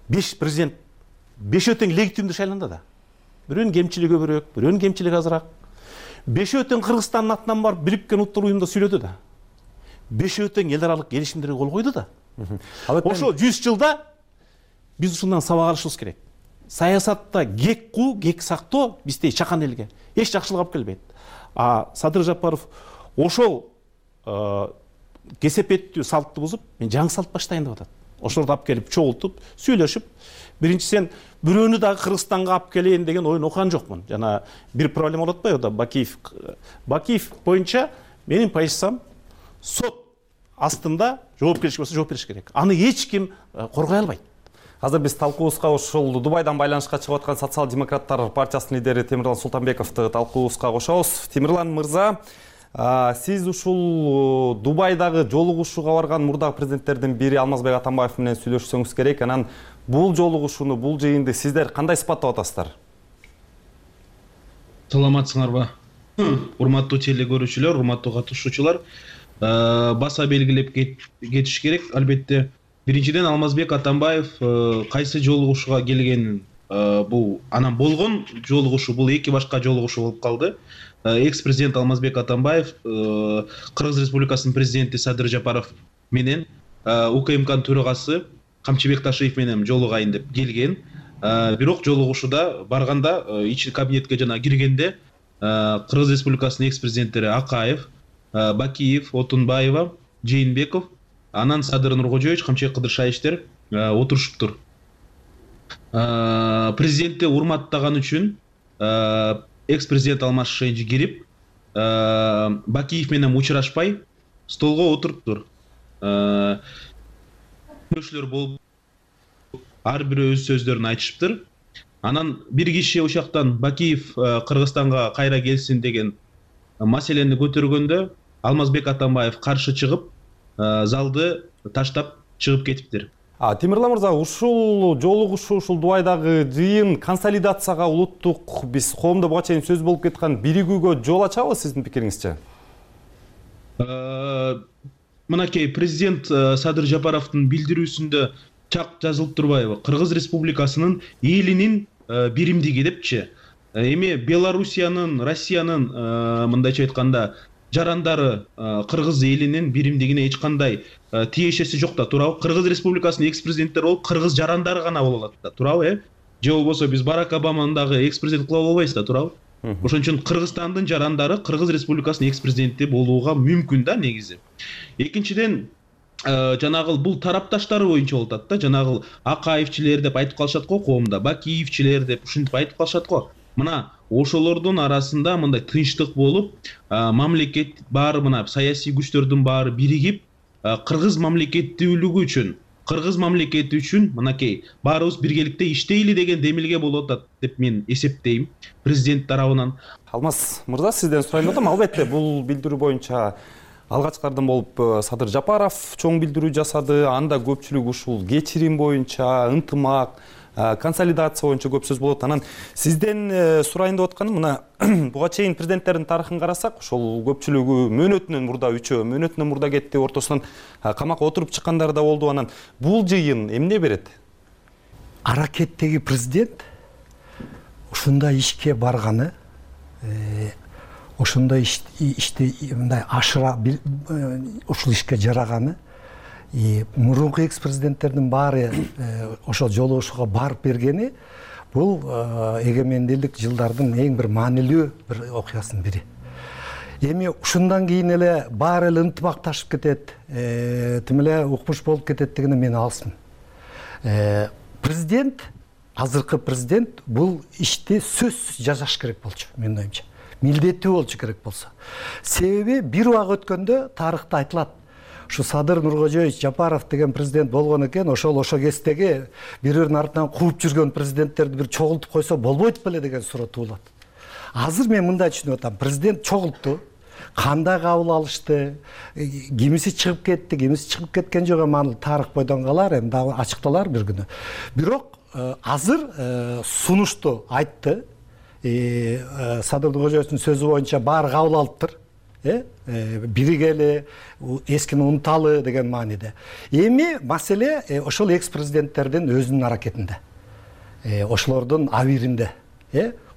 беш президент бешөө тең легитимдүү шайланды да. Бирөөнүн кемчилиги көбүрөөк, бирөөнүн кемчилиги азыраак. Бешөө тең Кыргызстандын атынан барып Бириккен Улуттар уюмунда сүйлөдү да. Бешөө тең эл аралык келишимдерге кол койду да. Ошо жүз жылда биз ушундан сабак алышыбыз керек. Саясатта кек куу, кек сактоо биздей чакан элге эч жакшылык алып келбейт. А Садыр Жапаров ошол кесепеттүү салтты бузуп, мен жаңы салт баштайын деп атат. Ошолорду алып келип чогултуп, сүйлөшүп, биринчисен бирөөнү дагы Кыргызстанга алып келейин деген оюн окуган жокмун. Жана бир проблема болуп атпайбы да, Бакиев. Бакиев боюнча менин позициям сот астында жоопкерчилик болсо жооп бериш керек. Аны эч ким коргой албайт. Азыр биз талкуубузга ушул Дубайдан байланышка чыгып аткан Социал-демократтар партиясынын лидери Темирлан Султанбековду талкуубузга кошобуз. Темирлан мырза, сиз ушул Дубайдагы жолугушууга барган мурдагы президенттердин бири Алмазбек Атамбаев менен сүйлөшсөңүз керек. Анан бул жолугушууну, бул жыйынды сиздер кандай сыпаттап атасыздар? Саламатсыңарбы? Урматтуу телекөрүүчүлөр, урматтуу катышуучулар, баса белгилеп кетиш керек. Албетте, биринчиден Алмазбек Атамбаев кайсы жолугушууга келгенин бул анан болгон жолугушуу бул эки башка жолугушуу болуп калды. Экс президент Алмазбек Атамбаев Кыргыз Республикасынын президенти Садыр Жапаров менен УКМКнын төрагасы Камчыбек Ташиев менен жолугайын деп келген. Бирок жолугушууда барганда ички кабинетке жана киргенде Кыргыз Республикасынын экс президенттери Акаев, Бакиев, Отунбаева, Жээнбеков, анан Садыр Нуркожоевич, Камчыбек Кыдыршаевичтер отурушуптур. Президентти урматтаган үчүн экс президент Алмаз Шенжи кирип, Бакиев менен учурашпай столго отуруптур. Көршүлөр болуп ар бири өз сөздөрүн айтышыптыр. Анан бир киши ошоктон Бакиев Кыргызстанга кайра келсин деген маселени көтөргөндө Алмазбек Атамбаев каршы чыгып, залды таштап чыгып кетиптир. Темирлан мырза, ушул жолугушуу, ушул Дубайдагы жыйын консолидацияга, улуттук биз коомдо буга чейин сөз болуп кеткен биригүүгө жол ачабы сиздин пикириңизче? Мынакей президент Садыр Жапаровдун билдирүүсүндө чак жазылып турбайбы? Кыргыз Республикасынын элинин биримдиги депчи. Эми Белоруссиянын, Россиянын мындайча айтканда жарандары Кыргыз элинин биримдигине эч кандай тиешеси жок да, туурабы? Кыргыз Республикасынын экс президенттери болуп Кыргыз жарандары гана боло алат да, туурабы, э? Же болбосо биз Барак Обаманы дагы экс президент кыла албайбыз да, туурабы? Ошон үчүн Кыргызстандын жарандары Кыргыз Республикасынын экс президенти болууга мүмкүн да негизи. Экинчиден, жанагы бул тарапташтары боюнча болуп атат да, жанагы Акаевчилер деп айтып калышат го коомдо, Бакиевчилер деп ушинтип айтып калышат го. Мына ошолордун арасында мындай тынчтык болуп, мамлекет баары, мына саясий күчтөрдүн баары биригип, Кыргыз мамлекеттүүлүгү үчүн, Кыргыз мамлекети үчүн мынакей баарыбыз биргеликте иштейли деген демилге болуп атат деп мен эсептейм президент тарабынан. Алмаз мырза, сизден сурайын атам. Албетте бул билдирүү боюнча алгачкылардан болуп Садыр Жапаров чоң билдирүү жасады. Анда көпчүлүк ушул кечирим боюнча, ынтымак, консолидация боюнча көп сөз болот. Анан сизден сурайын деп атканым, мына буга чейин президенттердин тарыхын карасак, ошол көпчүлүгү мөөнөтүнөн мурда, үчөө мөөнөтүнөн мурда кетти, ортосунан камакка отуруп чыккандар да болду. Анан бул жыйын эмне берет? Аракеттеги президент ушундай ишке барганы, ошондой ишти мындай ашыра ушул ишке жараганы, мурунку экс президенттердин баары ошол жолугушууга барып бергени бул эгемендүүлүк жылдардын эң бир маанилүү бир окуясынын бири. Эми ушундан кийин эле баары эле ынтымакташып кетет, тим эле укмуш болуп кетет дегенде мен алысмын. Президент, азыркы президент бул ишти сөзсүз жасаш керек болчу, менин оюмча. Милдеттүү болчу керек болсо. Себеби бир убак өткөндө тарыхта айтылат. Ушу Садыр Нуркожоевич Жапаров деген президент болгон экен, ошол ошо кездеги бири-биринин артынан кууп жүргөн президенттерди бир чогултуп койсо болбойт беле деген суроо туулат. Азыр мен мындай түшүнүп атам. Президент чогултту, кандай кабыл алышты, кимиси чыгып кетти, кимиси чыгып кеткен жок, эми аны тарых бойдон калар, эми дагы ачыкталар бир күнү. Бирок азыр сунушту айтты. Садыр Нуркожоевичтин сөзү боюнча баары кабыл алыптыр. Биригели, эскини унуталы деген мааниде. Эми маселе ошол экс президенттердин өзүнүн аракетинде. Ошолордун абийиринде.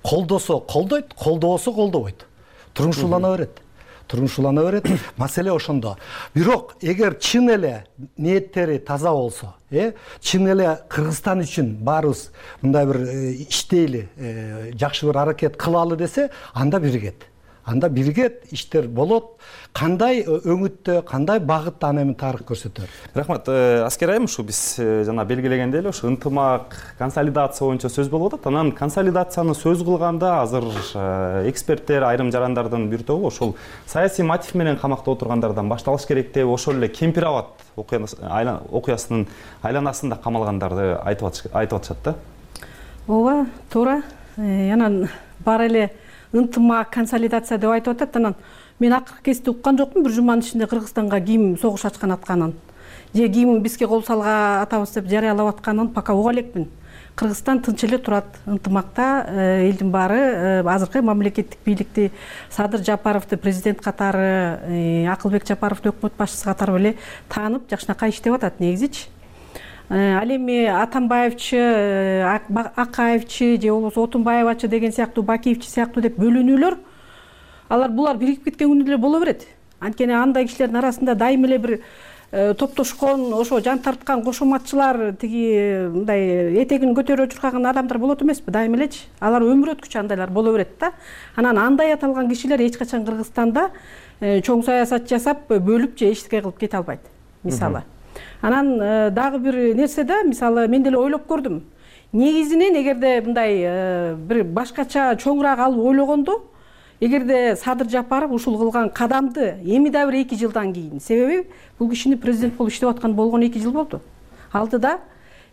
Колдосо колдойт, колдобосо колдобойт. Турмушулана берет. Турмушулана берет. Маселе ошондо. Бирок эгер чын эле ниеттери таза болсо, чын эле Кыргызстан үчүн баарыбыз мындай бир иштейли, жакшы бир аракет кылалы десе, анда биригет. Анда биригет, иштер болот. Кандай өңүттө, кандай багытта аны эми тарых көрсөтөр. Рахмат. Аскер айым, ушу биз жана белгилегендей эле ушу ынтымак, консолидация боюнча сөз болуп атат. Анан консолидацияны сөз кылганда азыр эксперттер, айрым жарандардын бир тобу ошол саясий мотив менен камакта отургандардан башталыш керек деп, ошол эле Кемпир Абад окуясынын айланасында камалгандарды айтып атышат да. Ооба, туура. Анан бар эле ынтымак, консолидация деп айтып атат. Анан мен акыркы кезде уккан жокмун бир жуманын ичинде Кыргызстанга ким согуш ачкан атканын, же ким бизге кол салга атабыз деп жарыялап атканын пока уга элекмин. Кыргызстан тынч эле турат, ынтымакта, элдин баары азыркы мамлекеттик бийликти Садыр Жапаровду президент катары, Акылбек Жапаровду өкмөт башчысы катары эле таанып, жакшынакай иштеп атат негизичи. ал эми Атамбаевчы, Акаевчи же болбосо Отунбаевачы деген сыяктуу, Бакиевчи сыяктуу деп бөлүнүүлөр, алар булар биригип кеткен күндө эле боло берет. Анткени андай кишилердин арасында дайым эле бир топтошкон, ошо жан тарткан кошоматчылар, тиги мындай этегин көтөрүп чуркаган адамдар болот эмеспи, дайым элечи. Алар өмүр өткүчү андайлар боло берет да. Анан андай аталган кишилер эч качан Кыргызстанда чоң саясат жасап, бөлүп же эчтеке кылып кете албайт, мисалы. Анан дагы бир нерсе да, мисалы, мен деле ойлоп көрдүм. Негизинен эгерде мындай бир башкача чоңураак алып ойлогондо, эгерде Садыр Жапаров ушул кылган кадамды эми да бир эки жылдан кийин, себеби бул кишини президент болуп иштеп аткан болгону эки жыл болду. Алдыда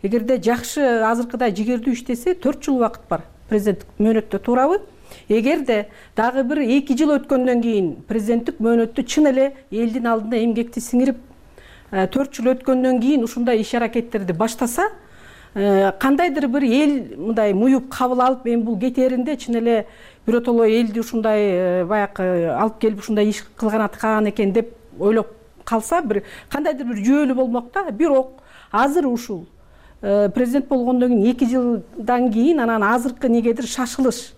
эгерде жакшы азыркыдай жигердүү иштесе, төрт жыл убакыт бар президенттик мөөнөттө, туурабы? Эгерде дагы бир эки жыл өткөндөн кийин президенттик мөөнөттү чын эле элдин алдында эмгекти сиңирип, төрт жыл өткөндөн кийин ушундай иш аракеттерди баштаса, кандайдыр бир эл мындай муюп кабыл алып, эми бул кетээринде чын эле биротоло элди ушундай баягы алып келип ушундай иш кылган аткан экен деп ойлоп калса, бир кандайдыр бир жүйөлүү болмок да. Бирок азыр ушул президент болгондон кийин эки жылдан кийин анан азыркы негедир шашылыш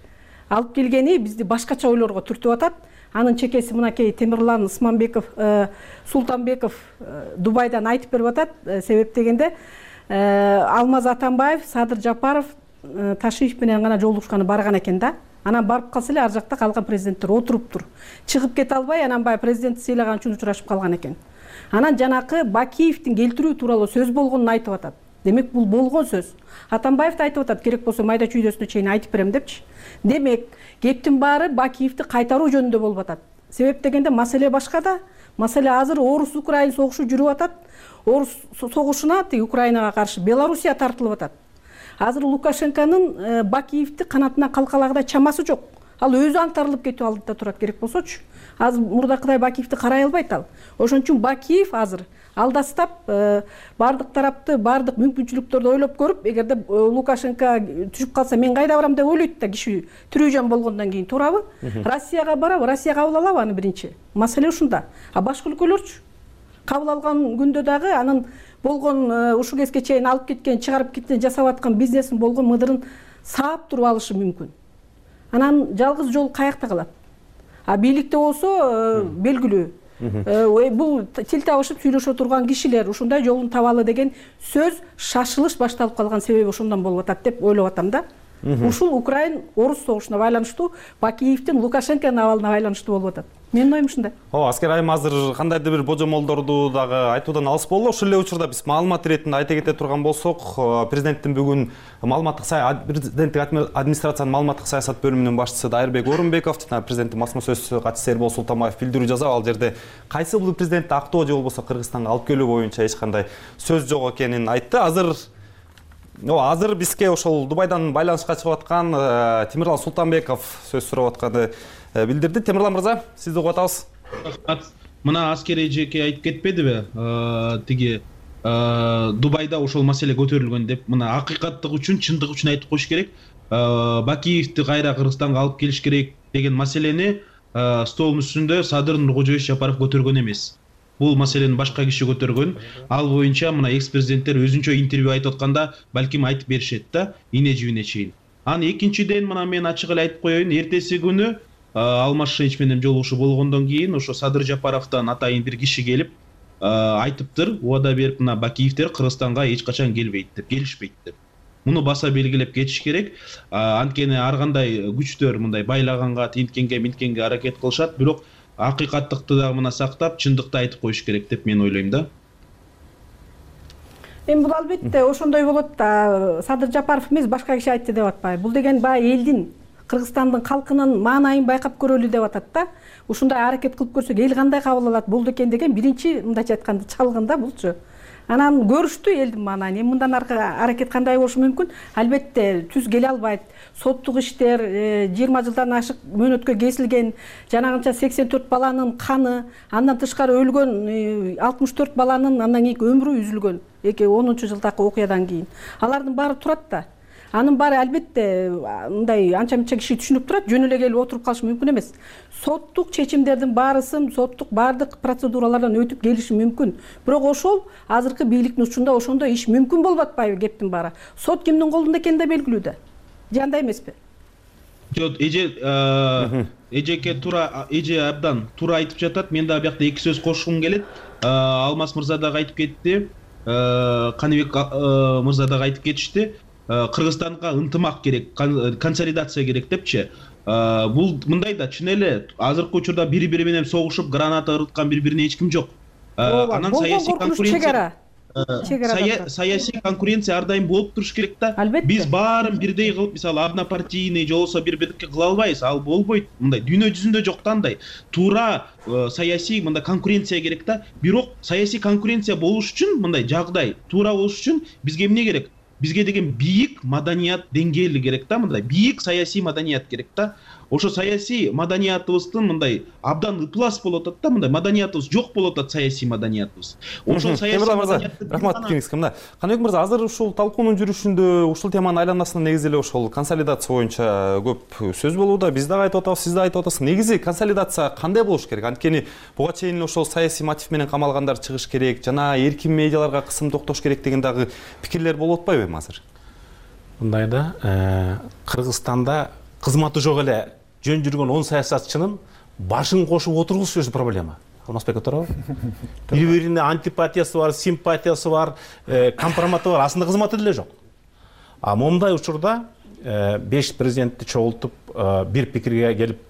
алып келгени бизди башкача ойлорго түртүп атат. Анын чекеси мынакей Темирлан Усманбеков, Султанбеков Дубайдан айтып берип атат. Себеп дегенде Алмаз Атамбаев, Садыр Жапаров Ташиев менен гана жолугушканы барган экен да. Анан барып калса эле ар жакта калган президенттер отуруптур. Чыгып кете албай, анан баягы президентти сыйлаган үчүн учурашып калган экен. Анан жанакы Бакиевдин келтирүү тууралуу сөз болгонун айтып атат. Демек бул болгон сөз. Атамбаев да айтып атат, керек болсо майда чүйдөсүнө чейин айтып берем депчи. Демек, кептин баары Бакиевди кайтаруу жөнүндө болуп атат. Себеп дегенде маселе башка да. Маселе азыр Орус-Украин согушу жүрүп атат. Орус согушуна тиги Украинага каршы Белоруссия тартылып атат. Азыр Лукашенконун Бакиевди канатына калкалагыдай чамасы жок. Ал өзү аңтарылып кетүү алдыда турат, керек болсочу. Азыр мурдакыдай Бакиевди карай албайт ал. Ошон үчүн Бакиев азыр алдастап, бардык тарапты, бардык мүмкүнчүлүктөрдү ойлоп көрүп, эгерде Лукашенко түшүп калса, мен кайда барам деп ойлойт да киши тирүү жан болгондон кийин, туурабы? Россияга барабы, Россия кабыл алабы аны биринчи? Маселе ушунда. А башка өлкөлөрчү? Кабыл алган күндө дагы анын болгон ушу кезге чейин алып кеткен, чыгарып кеткен, жасап аткан бизнесин болгон мыдырын саап туруп алышы мүмкүн. Анан жалгыз жол каякта калат. А бийликте болсо белгилүү. Бул тил табышып сүйлөшө турган кишилер ушундай жолун табалы деген сөз, шашылыш башталып калган себеби ошондон болуп атат деп ойлоп атам да. Ушул Украин Орус согушуна байланыштуу, Бакиевдин Лукашенконун абалына байланыштуу болуп атат. Менин оюм ушундай. Ооба, аскер айым азыр кандайдыр бир божомолдорду дагы айтуудан алыс болду. Ошол эле учурда биз маалымат иретинде айта кете турган болсок, президенттин бүгүн маалыматтык президенттик администрациянын маалыматтык саясат бөлүмүнүн башчысы Дайырбек Орунбеков жана президенттин басма сөз катчысы Эрбол Султанбаев билдирүү жасап, ал жерде кайсы бул президентти актоо же болбосо Кыргызстанга алып келүү боюнча эч кандай сөз жок экенин айтты. Азыр Ооба, азыр бизге ошол Дубайдан байланышка чыгып аткан Темирлан Султанбеков сөз сурап атканы билдирди. Темирлан мырза, сизди угуп атабыз. Мына аскер эжеке айтып кетпедиби? Тиги Дубайда ошол маселе көтөрүлгөн деп. Мына акыйкаттык үчүн, чындык үчүн айтып коюш керек. Бакиевди кайра Кыргызстанга алып келиш керек деген маселени столдун үстүндө Садыр Нуркожоевич Жапаров көтөргөн эмес. Бул маселени башка киши көтөргөн. Ал боюнча мына экс-президенттер өзүнчө интервью айтып атканда балким айтып беришет да, ине жибине чейин. Анан экинчиден мына мен ачык эле айтып коеюн, эртеси күнү Алмаз Шенич менен жолугушуу болгондон кийин ошо Садыр Жапаровдон атайын бир киши келип айтыптыр, убада берип, мына Бакиевдер Кыргызстанга эч качан келбейт деп, келишпейт деп. Муну баса белгилеп кетиш керек. Анткени ар кандай күчтөр мындай байлаганга, тинткенге, минткенге аракет кылышат, бирок акыйкаттыкты дагы мына сактап, чындыкты айтып коюш керек деп мен ойлойм да. Эми бул албетте ошондой болот да. Садыр Жапаров эмес, башка киши айтты деп атпайбы. Бул деген баягы элдин, Кыргызстандын калкынын маанайын байкап көрөлү деп атат да. Ушундай аракет кылып көрсөк, эл кандай кабыл алат болду экен деген биринчи мындайча айтканда чалгын да булчу. Анан көрүштү элдин маанайын. Эми мындан аркы аракет кандай болушу мүмкүн? Албетте түз келе албайт. Соттук иштер, жыйырма жылдан ашык мөөнөткө кесилген, жанагынча сексен төрт баланын каны, андан тышкары өлгөн алтымыш төрт баланын андан кийинки өмүрү үзүлгөн. эки миң онунчу жылдагы окуядан кийин. Алардын баары турат да. анын баары албетте мындай анча мынча киши түшүнүп турат, жөн эле келип отуруп калышы мүмкүн эмес. Соттук чечимдердин баарысын соттук баардык процедуралардан өтүп келиши мүмкүн. Бирок ошол азыркы бийликтин учурунда ошондой иш мүмкүн болуп атпайбы кептин баары? Сот кимдин колунда экени да белгилүү да. Же андай эмеспи? Жок, эже эжеке туура эже абдан туура айтып жатат. Мен дагы биякта эки сөз кошкум келет. Алмаз мырза дагы айтып кетти. Каныбек мырза дагы айтып кетишти. Кыргызстанга ынтымак керек, консолидация керек депчи. Бул мындай да чын эле азыркы учурда бири-бири менен согушуп, граната ырыткан бири-бирине эч ким жок. Анан саясий конкуренция саясий конкуренция ар дайым болуп туруш керек да. Биз баарын бирдей кылып, мисалы однопартийный же болбосо бири-бирдики кыла албайбыз. Ал болбойт. Мындай дүйнө жүзүндө жок да андай. Туура саясий мындай конкуренция керек да. Бирок саясий конкуренция болуш үчүн мындай жагдай туура болуш үчүн бизге эмне керек? Бизге деген бийик маданият деңгээли керек да, мындай бийик саясий маданият керек да. Ошо саясий маданиятыбыздын мындай абдан ыплас болуп атат да, мындай маданиятыбыз жок болуп атат, саясий маданиятыбыз. Ошол саясий маданиятты рахмат кеңеске. Мына Каныбек мырза, азыр ушул талкуунун жүрүшүндө ушул теманын айланасында негизи эле ошол консолидация боюнча көп сөз болууда. Биз дагы айтып атабыз, сиз дагы айтып атасыз. Негизи консолидация кандай болуш керек? Анткени буга чейин ошол саясий мотив менен камалгандар чыгыш керек, жана эркин медиаларга кысым токтош керек деген дагы пикирлер болуп атпайбы эми азыр? Мындай да, Кыргызстанда кызматы жок эле жөн жүргөн он саясатчынын башын кошуп отургузуш өзү проблема. Алмазбек туурабы? Бири-бирине антипатиясы бар, симпатиясы бар, компроматы бар, асында кызматы деле жок. А момундай учурда беш президентти чогултуп, бир пикирге келип,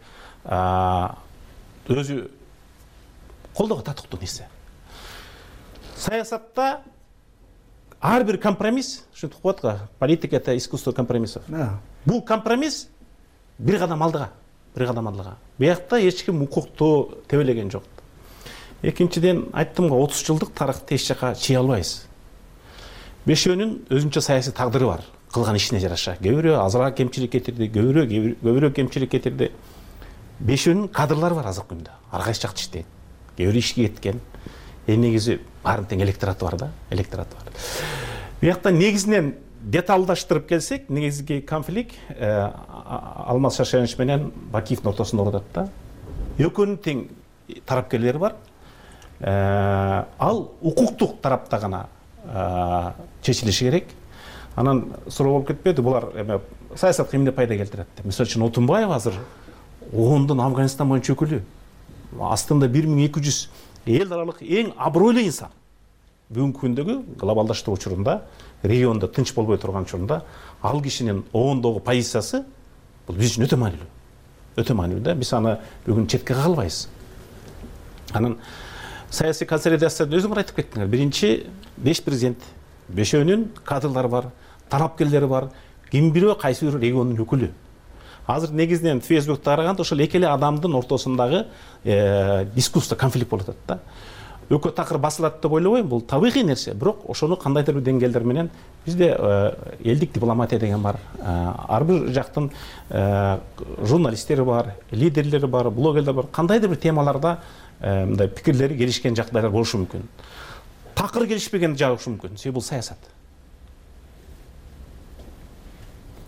өзү колдоого татыктуу нерсе. Саясатта ар бир компромисс, ушинтип коет го, политика это искусство компромиссов. Бул компромисс бир кадам алдыга, бир кадам алдыга. Биякта эч ким укукту тебелеген жок. Экинчиден, айттым го, отуз жылдык тарыхты эч жака чыйа албайбыз. Бешөөнүн өзүнчө саясий тагдыры бар, кылган ишине жараша. Кээ бирөө азыраак кемчилик кетирди, кээ бирөө көбүрөөк кемчилик кетирди. Бешөөнүн кадрлары бар азыркы күндө. Ар кайсы жакта иштейт. Кээ бирөө ишке кеткен. Эми негизи баарын тең электораты бар да, электораты бар. Биякта негизинен деталдаштырып келсек, негизги конфликт Алмаз Шаршенович менен Бакиевдин ортосунда болуп атат да. Экөөнүн тең тарапкерлери бар. Ал укуктук тарапта гана чечилиши керек. Анан суроо болуп кетпеди, булар эме саясатка эмне пайда келтирет деп. Мисалы үчүн Отунбаев азыр оондун Афганистан боюнча өкүлү. Астында бир миң эки жүз эл аралык эң абройлуу инсан. Бүгүнкү күндөгү глобалдаштыруу учурунда, региондо тынч болбой турган учурунда ал кишинин оондогу позициясы бул биз үчүн өтө маанилүү. Өтө маанилүү да, биз аны бүгүн четке кага албайбыз. Анан саясий консолидацияны өзүңөр айтып кеттиңер. Биринчи, беш президент, бешөөнүн кадрлары бар, талапкерлери бар, ким бирөө кайсы бир региондун өкүлү. Азыр негизинен Фейсбукта караганда ошол эки эле адамдын ортосундагы дискуссия, конфликт болуп атат да. Өкө такыр басылат деп ойлобойм, бул табигый нерсе. Бирок ошону кандайдыр бир деңгээлдер менен бизде элдик дипломатия деген бар. Ар бир жактын журналисттери бар, лидерлери бар, блогерлер бар. Кандайдыр бир темаларда мындай пикирлери келишкен жагдайлар болушу мүмкүн. Такыр келишпеген жагы болушу мүмкүн. Себеби бул саясат.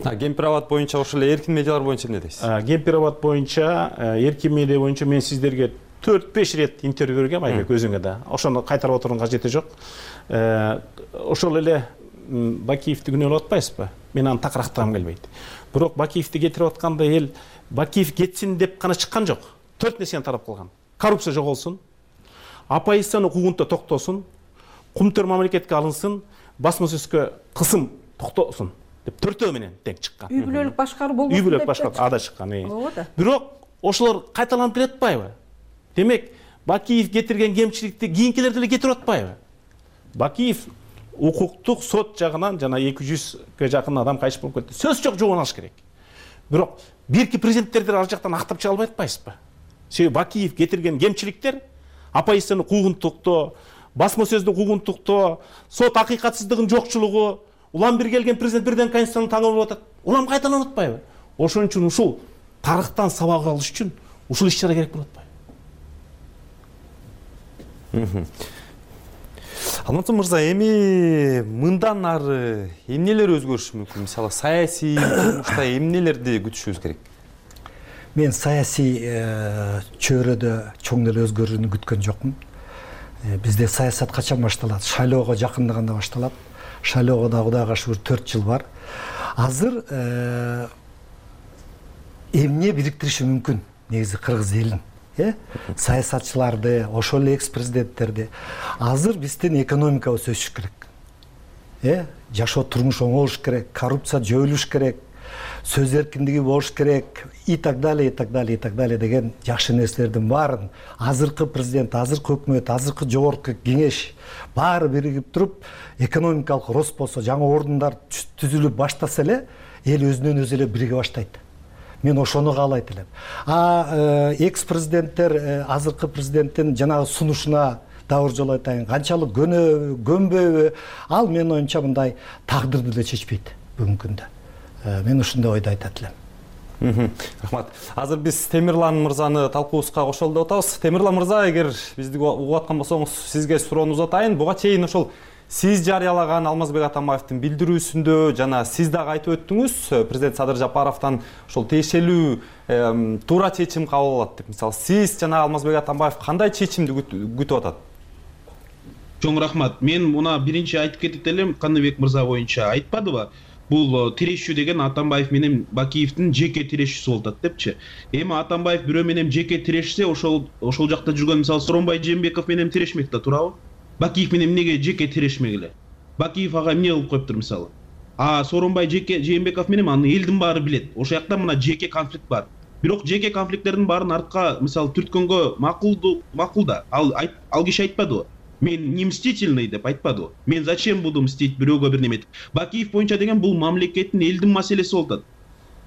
Гемпирабад боюнча ошол эле эркин медиалар боюнча эмне дейсиз? Гемпирабад боюнча, эркин медиа боюнча мен сиздерге төрт беш рет интервью бергем, Айбек өзүңө да. Ошону кайтарып отуруунун кажети жок. Ошол эле Бакиевди күнөөлөп атпайсызбы? Мен аны такырактагым келбейт. Бирок Бакиевди кетирип атканда эл Бакиев кетсин деп гана чыккан жок. Төрт нерсени тарап калган. Коррупция жоголсун, оппозициянын укугунда токтосун, кумтөр мамлекетке алынсын, басма сөзгө кысым токтосун деп төртөө менен тең чыккан. Үй бүлөлүк башкаруу болбосун деп. Үй бүлөлүк башкаруу ада чыккан. Бирок ошолор кайталанып келе атпайбы? Демек, Бакиев кетирген кемчиликти кийинкилер деле кетирип атпайбы? Бакиев укуктук сот жагынан жана эки жүзгө жакын адам кайтыш болуп кетти. Сөз жок, жоон алыш керек. Бирок бирки президенттерди ар жактан актап чыга албай атпайсызбы? Себеби Бакиев кетирген кемчиликтер оппозициянын укугун токтоо, басма сөздүн укугун токтоо, сот акыйкатсыздыгынын жокчулугу, улам бир келген президент бирден конституцияны таңып атат. Улам кайталанып атпайбы? Ошон үчүн ушул тарыхтан сабак алыш үчүн ушул иш-чара керек болуп атпайбы? Алматы мырза, эми мындан ары эмнелер өзгөрүшү мүмкүн? Мисалы, саясий турмушта эмнелерди күтүшүбүз керек? Мен саясий чөйрөдө чоң эле өзгөрүүнү күткөн жокмун. Бизде саясат качан башталат? Шайлоого жакындаганда башталат. Шайлоого да Кудайга шүгүр төрт жыл бар. Азыр эмне бириктириши мүмкүн негизи кыргыз элин? Э? Саясатчыларды, ошол эле экс-президенттерди. Азыр биздин экономикабыз өсүш керек. Э? Жашоо турмуш оңолуш керек, коррупция жоюлуш керек, сөз эркиндиги болуш керек, и так далее, и так далее, и так далее деген жакшы нерселердин баарын азыркы президент, азыркы өкмөт, азыркы жогорку кеңеш баары биригип туруп, экономикалык рост болсо, жаңы ордундар түзүлүп баштаса эле, эл өзүнөн өзү эле бириге баштайт. Мен ошону каалайт элем. А экс-президенттер азыркы президенттин жанагы сунушуна дабыр жолу айтайын, канчалык көнөбү, көнбөбү, ал менин оюмча мындай тагдырды деле чечпейт бүгүнкү күндө. Мен ушундай ойду айтат элем. Рахмат. Азыр биз Темирлан мырзаны талкуубузга кошолу деп атабыз. Темирлан мырза, эгер бизди угуп аткан болсоңуз, сизге суроону узатайын. Буга чейин ошол сиз жарыялаган Алмазбек Атамбаевдин билдирүүсүндө жана сиз дагы айтып өттүңүз, президент Садыр Жапаровдон ошол тиешелүү туура чечим кабыл алат деп. Мисалы, сиз жана Алмазбек Атамбаев кандай чечимди күтүп атат? Чоң рахмат. Мен муна биринчи айтып кетет элем, Каныбек мырза боюнча айтпадыбы? Бул тирешүү деген Атамбаев менен Бакиевдин жеке тирешүүсү болуп атат депчи. Эми Атамбаев бирөө менен жеке тирешсе, ошол ошол жакта жүргөн мисалы Сооронбай Жээнбеков менен тирешмек да, туурабы? Бакиев менен эмнеге жеке тирешмегиле? Бакиев ага эмне кылып коюптур мисалы? А Сооронбай жеке Жээнбеков менен аны элдин баары билет. Ошол жакта мына жеке конфликт бар. Бирок жеке конфликттердин баарын артка мисалы түрткөнгө макулду, макул да. Ал ал киши айтпадыбы? Мен не мстительный деп айтпады. Мен зачем буду мстить бирөөгө бир неме? Бакиев боюнча деген бул мамлекеттин элдин маселеси болуп атат.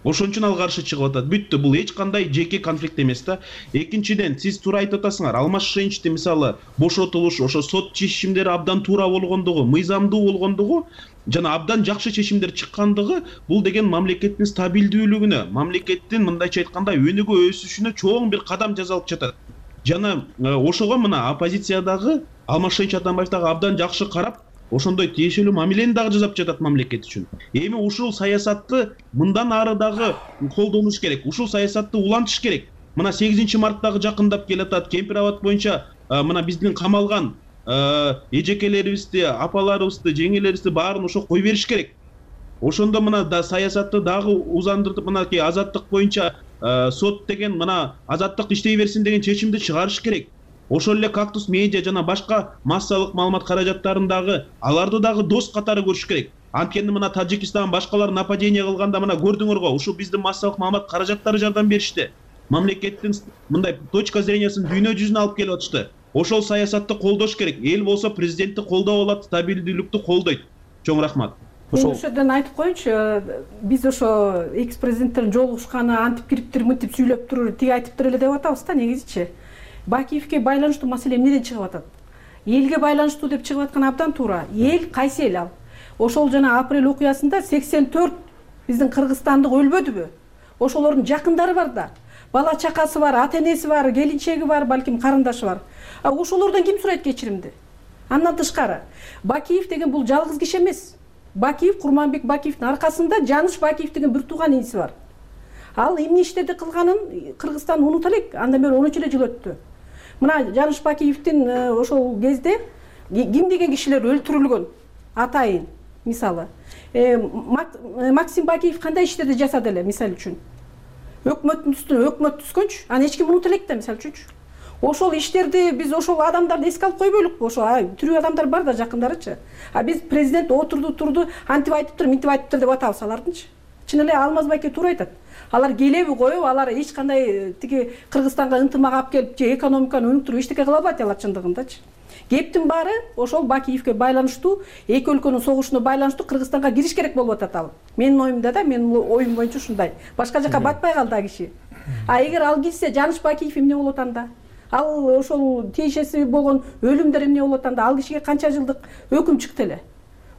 Ошон үчүн ал каршы чыгып атат. Бүттү, бул эч кандай жеке конфликт эмес да. Экинчиден, сиз туура айтып атасыңар. Алмаз Шеничти мисалы бошотулуш, ошо сот чечимдери абдан туура болгондугу, мыйзамдуу болгондугу жана абдан жакшы чечимдер чыккандыгы бул деген мамлекеттин стабилдүүлүгүнө, мамлекеттин мындайча айтканда өнүгө өсүшүнө чоң бир кадам жасалып жатат. Жана ошого мына оппозициядагы Алмаз Шенич Атамбаев дагы абдан жакшы карап, ошондой тиешелүү мамилени дагы жасап жатат мамлекет үчүн. Эми ушул саясатты мындан ары дагы колдонуш керек. Ушул саясатты улантыш керек. Мына сегизинчи март дагы жакындап келатат. Кемпир абад боюнча мына биздин камалган эжекелерибизди, апаларыбызды, жеңелерибизди баарын ошо кой бериш керек. Ошондо мына да саясатты дагы узандыртып, мынакей азаттык боюнча сот деген мына азаттык иштей берсин деген чечимди чыгарыш керек. Ошол эле Кактус медиа жана башка массалык маалымат каражаттарын дагы аларды дагы дос катары көрүш керек. Анткени мына Тажикистан башкалар нападение кылганда мына көрдүңөр го, ушул биздин массалык маалымат каражаттары жардам беришти. Мамлекеттин мындай точка зрениясын дүйнө жүзүнө алып келип атышты. Ошол саясатты колдош керек. Эл болсо президентти колдоп алат, стабилдүүлүктү колдойт. Чоң рахмат. Мен ошодон айтып коеюнчу, биз ошо экс-президенттердин жолугушканы антип кириптир, мынтип сүйлөп турур, тиги айтыптыр эле деп атабыз да, негизичи. Бакиевге байланыштуу маселе эмнеден чыгып атат? Элге байланыштуу деп чыгып аткан абдан туура. Эл кайсы эл ал? Ошол жана апрель окуясында сексен төрт биздин кыргызстандык өлбөдүбү? Ошолордун жакындары бар да. Бала чакасы бар, ата энеси бар, келинчеги бар, балким карындашы бар. А ошолордон ким сурайт кечиримди? Андан тышкары, Бакиев деген бул жалгыз киши эмес. Бакиев, Курманбек Бакиевдин аркасында Жаныш Бакиев деген бир тууган иниси бар. Ал эмне иштеди кылганын Кыргызстан унута элек, андан бери он үч эле жыл өттү. Мына Жаныш Бакиевдин ошол кезде ким деген кишилер өлтүрүлгөн, атайын мисалы. Максим Бакиев кандай иштерди жасады эле, мисалы үчүн. Өкмөттүн үстүнө өкмөт түскөнчү, аны эч ким унута элек да, мисалы үчүнчү. Ошол иштерди биз ошол адамдарды эске алып койбойлукпу? Ошо тирүү адамдар бар да, жакындарычы. А биз президент отурду, турду, антип айтыптыр, мынтип айтыптыр деп атабыз алардынчы. Чын эле Алмаз байке туура айтат. Алар келеби коюп, алар эч кандай тиги Кыргызстанга ынтымак алып келип, же экономиканы өнүктүрүп эчтеке кыла албайт алар чындыгындачы. Кептин баары ошол Бакиевге байланыштуу, эки өлкөнүн согушуна байланыштуу Кыргызстанга кириш керек болуп атат ал. Менин оюмда да, менин оюм боюнча ушундай. Башка жака батпай калды а киши. А эгер ал кирсе, Жаныш Бакиев эмне болот анда? Ал ошол тиешеси болгон өлүмдөр эмне болот анда? Ал кишиге канча жылдык өкүм чыкты эле.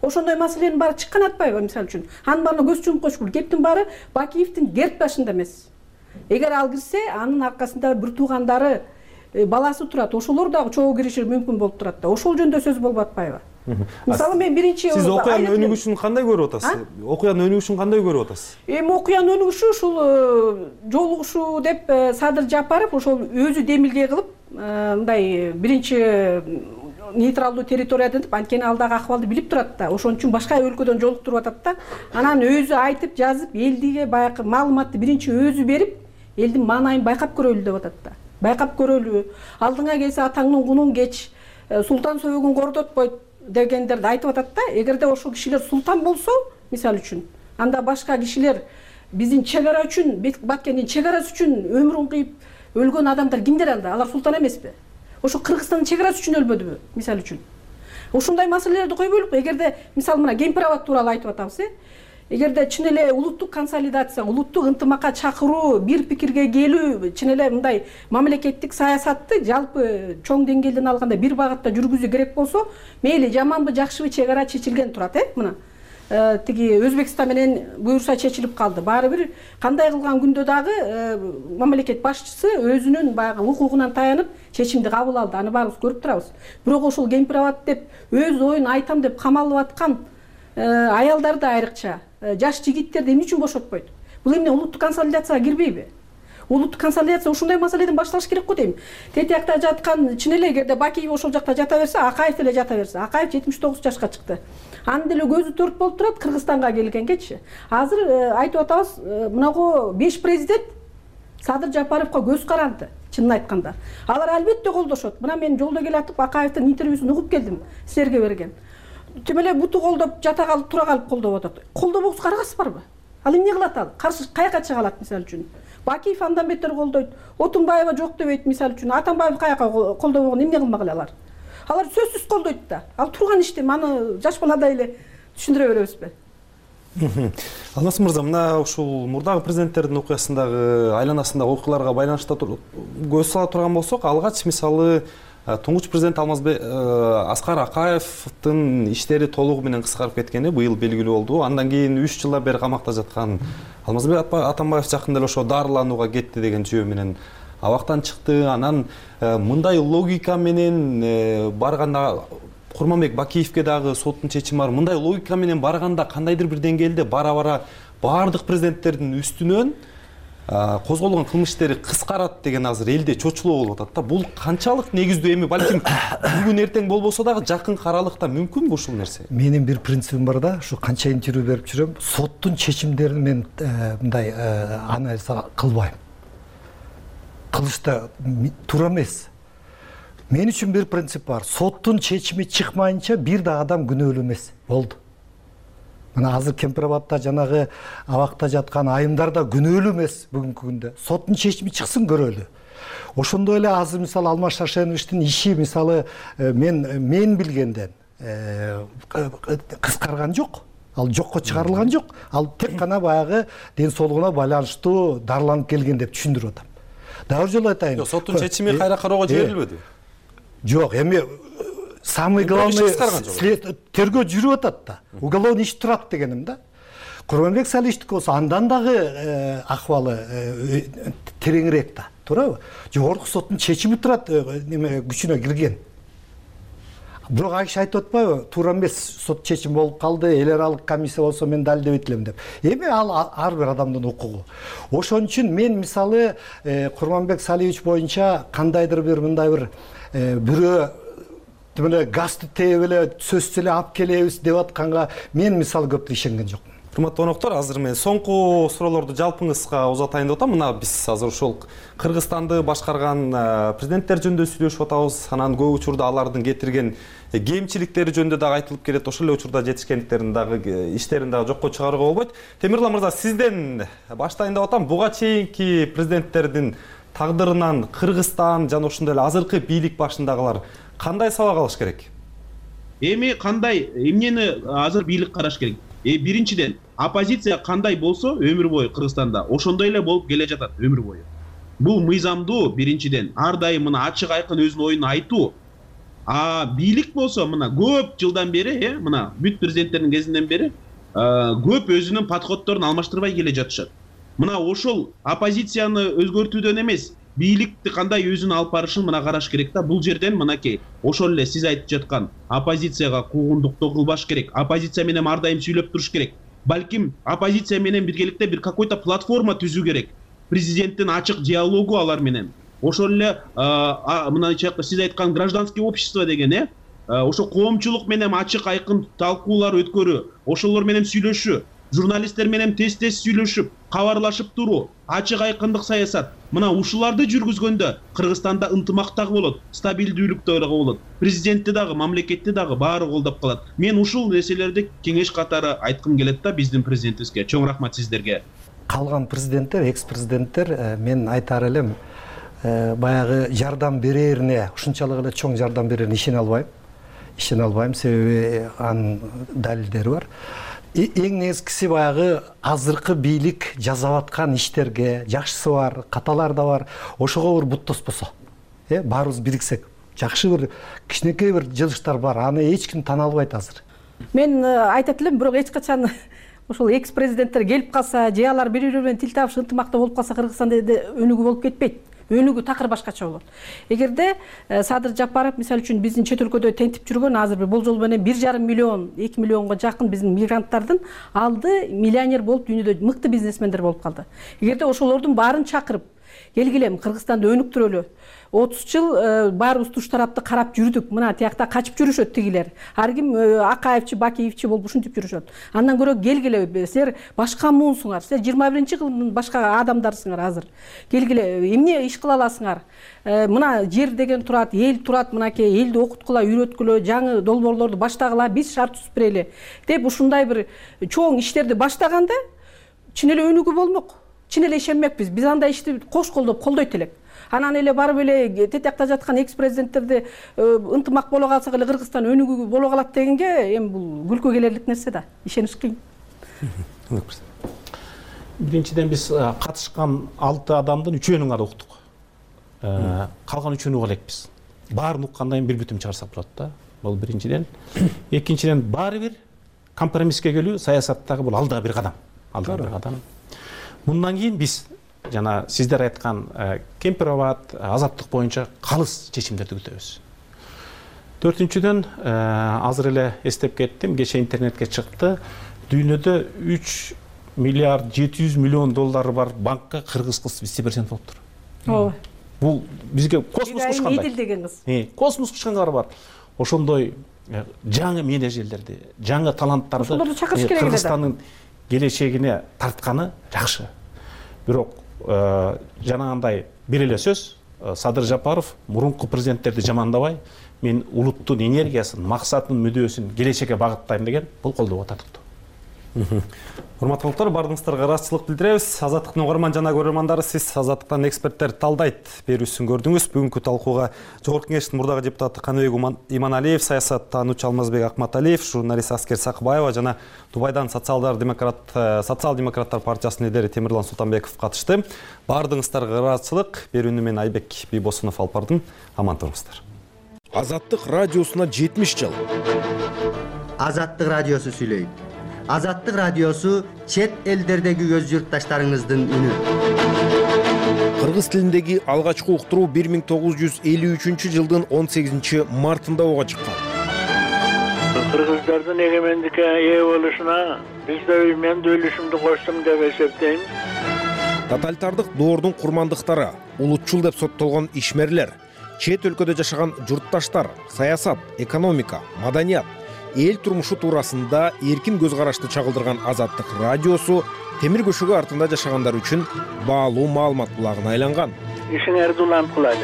Ошондой маселенин баары чыккан атпайбы, мисалы үчүн? Анын баарына көз чумуп коюш керек. Кептин баары Бакиевдин герб башында эмес. Эгер ал кирсе, анын аркасында бир туугандары баласы турат, ошолор дагы чогуу кириши мүмкүн болуп турат да. Ошол жөнүндө сөз болуп атпайбы? Мисалы мен биринчи сиз окуянын өнүгүшүн кандай көрүп атасыз? Окуянын өнүгүшүн кандай көрүп атасыз? Эми окуянын өнүгүшү ушул жолугушуу деп Садыр Жапаров ошол өзү демилге кылып, мындай биринчи нейтралдуу территориядан деп, анткени ал дагы акыбалды билип турат да. Ошон үчүн башка өлкөдөн жолуктуруп атат да. Анан өзү айтып, жазып, элдиге баягы маалыматты биринчи өзү берип, элдин маанайын байкап көрөлү деп атат да. Байкап көрөлү. Алдыңа келсе атаңдын кунун кеч, султан сөөгүн кордотпойт дегендерди айтып атат да. Эгерде ошол кишилер султан болсо, мисалы үчүн, анда башка кишилер биздин чек ара үчүн, Баткендин чек арасы үчүн өмүрүн кыйып өлгөн адамдар кимдер анда? Алар султан эмеспи? Ошо Кыргызстандын чек арасы үчүн өлбөдүбү, мисалы үчүн? Ушундай маселелерди койбойлук. Эгерде мисалы мына кемпир-абад тууралуу айтып атабыз, э? Эгерде чын эле улуттук консолидация, улуттук ынтымакка чакыруу, бир пикирге келүү, чын эле мындай мамлекеттик саясатты жалпы чоң деңгээлден алганда бир багытта жүргүзүү керек болсо, мейли жаманбы, жакшыбы чек ара чечилген турат, э? Мына тиги Өзбекстан менен буюрса чечилип калды. Баары бир кандай кылган күндө дагы мамлекет башчысы өзүнүн баягы укугунан таянып чечимди кабыл алды. Аны баарыбыз көрүп турабыз. Бирок ошол кемпир-абад деп өз оюн айтам деп камалып аткан аялдарды айрыкча, жаш жигиттерди эмне үчүн бошотпойт? Бул эмне улуттук консолидацияга кирбейби? Улуттук консолидация ушундай маселеден башталыш керек го дейм. Тет жакта жаткан, чын эле эгерде Бакиев ошол жакта жата берсе, Акаев деле жата берсе. Акаев жетимиш тогуз жашка чыкты. Анын деле көзү төрт болуп турат Кыргызстанга келгенгечи. Азыр айтып атабыз, мынагу беш президент Садыр Жапаровго көз каранды, чынын айтканда. Алар албетте колдошот. Мына мен жолдо келатып Акаевдин интервьюсун угуп келдим, силерге берген. Тим эле буту колдоп, жата калып, тура калып колдоп атат. Колдобоксуз карагасызбарбы? Ал эмне кылат ал? Каршы каяка чыга алат мисалы үчүн? Бакиев андан бетер колдойт. Отунбаева жок дебейт мисалы үчүн. Атамбаев каяка колдобогон эмне кылмак алар? Алар сөзсүз колдойт да. Ал турган иштем, аны жаш баладай эле түшүндүрө беребизби? Алмаз мырза, мына ушул мурдагы президенттердин окуясындагы айланасындагы окуяларга байланыштуу көз сала турган болсок, алгач мисалы туңгуч президент Алмазбек Аскар Акаевдин иштери толугу менен кыскарып кеткени быйыл белгилүү болду. Андан кийин үч жылдан бери камакта жаткан Алмазбек Атамбаев жакында эле ошо дарыланууга кетти деген жөө менен абактан чыкты. Анан мындай логика менен барганда Курманбек Бакиевке дагы соттун чечими бар. Мындай логика менен барганда кандайдыр бир деңгээлде бара-бара баардык президенттердин үстүнөн козголгон кылмыш иштери кыскарат деген азыр элде чочулоо болуп атат да. Бул канчалык негиздүү? Эми балким бүгүн эртең болбосо дагы жакын аралыкта мүмкүнбү ушул нерсе? Менин бир принцибим бар да, ушу канча интервью берип жүрөм, соттун чечимдерин мен мындай анализ кылбайм. Кылышта туура эмес. Мен үчүн бир принцип бар. Соттун чечими чыкмайынча бир да адам күнөөлүү эмес. Болду. Мына азыр Кемпир-Абадта жанагы абакта жаткан айымдар да күнөөлүү эмес бүгүнкү күндө. Соттун чечими чыксын, көрөлү. Ошондой эле азыр мисалы Алмаз Шашеновичтин иши мисалы мен мен билгенден кыскарган жок. Ал жокко чыгарылган жок. Ал тек гана баягы ден соолугуна байланыштуу дарыланып келген деп түшүндүрүп атам. Дагы жолу айтайын. Жок, соттун чечими кайра кароого жиберилбеди. Жок, эми самый главный тергөө жүрүп атат да. Уголовный иш турат дегеним да. Курманбек Салиховдук болсо андан дагы акыбалы тереңирээк да, туурабы? Жогорку соттун чечими турат, неме күчүнө кирген. Бирок ал киши айтып атпайбы? Туура эмес сот чечими болуп калды, эл аралык комиссия болсо мен далилдебейт элем деп. Эми ал ар бир адамдын укугу. Ошон үчүн мен мисалы Курманбек Салихович боюнча кандайдыр бир мындай бир бирөө мына газды тээп эле сөзсүз эле алып келебиз деп атканга мен мисалы көп ишенген жокмун. Урматтуу коноктор, азыр мен соңку суроолорду жалпыңызга узатайын деп атам. Мына биз азыр ушул Кыргызстанды башкарган президенттер жөнүндө сүйлөшүп атабыз. Анан көп учурда алардын кетирген кемчиликтери жөнүндө дагы айтылып келет. Ошол эле учурда жетишкендиктерин дагы иштерин дагы жокко чыгарууга болбойт. Темирлан мырза, сизден баштайын деп атам. Буга чейинки президенттердин тагдырынан Кыргызстан жана ошондой эле азыркы бийлик башындагылар кандай сабак алыш керек? Эми кандай эмнени азыр бийлик караш керек? Э биринчиден, оппозиция кандай болсо өмүр бою Кыргызстанда ошондой эле болуп келе жатат өмүр бою. Бул мыйзамдуу биринчиден, ар дайым мына ачык айкын өзүнүн оюн айтуу. А бийлик болсо мына көп жылдан бери, э мына бүт президенттердин кезинен бери көп өзүнүн подходдорун алмаштырбай келе жатышат. Мына ошол оппозицияны өзгөртүүдөн эмес, бийликти кандай өзүн алып барышын мына караш керек да. Бул жерден мынакей ошол эле сиз айтып жаткан оппозицияга куугунтуктоо кылбаш керек, оппозиция менен ар дайым сүйлөп туруш керек. Балким оппозиция менен биргеликте бир какой-то платформа түзүү керек, президенттин ачык диалогу алар менен. Ошол эле мына сиз айткан гражданский общество деген э ошо коомчулук менен ачык айкын талкуулар өткөрүү, ошолор менен сүйлөшүү, журналисттер менен тез-тез сүйлөшүп, кабарлашып туруу, ачык айкындык саясат. Мына ушуларды жүргүзгөндө Кыргызстанда ынтымак дагы болот, стабилдүүлүк дагы болот, президентти дагы, мамлекетти дагы баары колдоп калат. Мен ушул нерселерди кеңеш катары айткым келет да биздин президентибизге. Чоң рахмат сиздерге. Калган президенттер, экс-президенттер мен айтар элем, баягы жардам берерине, ушунчалык эле чоң жардам берерине ишене албайм. Ишене албайм, себеби анын далилдери бар. Эң негизгиси баягы азыркы бийлик жасап аткан иштерге, жакшысы бар, каталар да бар. Ошого бир буттаспосо, э, баарыбыз бириксек, жакшы бир кичинекей бир жылыштар бар. Аны эч ким тана албайт азыр. Мен айтат элем, бирок эч качан ошол экс президенттер келип калса, же алар бири-бири менен тил табыш ынтымакта болуп калса, Кыргызстанда өнүгүү болуп кетпейт. Өнүгүү такыр башкача болот. Эгерде Садыр Жапаров мисалы үчүн биздин чет өлкөдө тентип жүргөн азыр бир болжол менен бир жарым миллион, эки миллионго жакын биздин мигранттардын алды миллионер болуп дүйнөдө мыкты бизнесмендер болуп калды. Эгерде ошолордун баарын чакырып, келгиле Кыргызстанды өнүктүрөлү. отуз жыл баарыбыз туш тарапты карап жүрдүк. Мына тиякта качып жүрүшөт тигилер. Ар ким Акаевчи, Бакиевчи болуп ушинтип жүрүшөт. Андан көрө келгиле, силер башка муунсуңар. Силер жыйырма биринчи кылымдын башка адамдарсыңар азыр. Келгиле, эмне иш кыла аласыңар? Мына жер деген турат, эл турат, мынакей элди окуткула, үйрөткүлө, жаңы долбоорлорду баштагыла, биз шарт түзүп берели деп ушундай бир чоң иштерди баштаганда чын эле өнүгүү болмок. Чын эле ишенмекпиз. Биз андай ишти кош колдоп колдойт элек. Анан эле барып эле тетиякта жаткан экс-президенттерди ынтымак боло калсак эле Кыргызстан өнүгүү боло калат дегенге эми бул күлкү келерлик нерсе да. Ишениш кыйын. Биринчиден биз катышкан алты адамдын үчөөнүн гана уктук. Калган үчөөнү уга элекпиз. Баарын уккандан кийин бир бүтүм чыгарсак болот да. Бул биринчиден. Экинчиден баары бир компромисске келүү саясаттагы бул алда бир кадам. Алда бир кадам. Мындан кийин биз жана сиздер айткан Кемпироват, азаттык боюнча калыс чечимдерди күтөбүз. Төртүнчүдөн азыр эле эстеп кеттим, кечээ интернетке чыкты. Дүйнөдө үч миллиард жети жүз миллион доллары бар банкка кыргыз кыз вице-президент болуптур. Ооба. Бул бизге космос кучкандай. Идил деген кыз. Космос кучкандар бар. Ошондой жаңы менеджерлерди, жаңы таланттарды Кыргызстандын келечегине тартканы жакшы. Бирок жанагындай бир эле сөз, Садыр Жапаров мурунку президенттерди жамандабай, мен улуттун энергиясын, максатын, мүдөөсүн келечекке багыттайм деген бул колдоого татыктуу. Урматтуу конуктар, бардыгыңыздарга ыраазычылык билдиребиз. Азаттыктын угарман жана көрөрмандары, сиз Азаттыктан эксперттер талдайт берүүсүн көрдүңүз. Бүгүнкү талкууга Жогорку Кеңештин мурдагы депутаты Каныбек Иманалиев, саясаттануучу Алмазбек Акматалиев, журналист Аскер Сакыбаева жана Дубайдан социалдар демократ социал-демократтар партиясынын лидери Темирлан Султанбеков катышты. Бардыгыңыздарга ыраазычылык берүүнү мен Айбек Бийбосунов алып бардым. Аман туруңуздар. Азаттык радиосуна жетимиш жыл. Азаттык радиосу сүйлөйт. Азаттык радиосу чет элдердеги көз журтташтарыңыздын үнү. Кыргыз тилиндеги алгачкы уктуруу бир миң тогуз жүз элүү үчүнчү жылдын он сегизинчи мартында ого чыккан. Кыргыздардын эгемендикке ээ болушуна биз да мен да үлүшүмдү коштум деп эсептейм. Тоталитардык доордун курмандыктары, улутчул деп соттолгон ишмерлер, чет өлкөдө жашаган журтташтар, саясат, экономика, маданият, эл турмушу туурасында эркин көз карашты чагылдырган Азаттык радиосу темир көшөгө артында жашагандар үчүн баалуу маалымат булагына айланган. Ишиңерди уланткыла.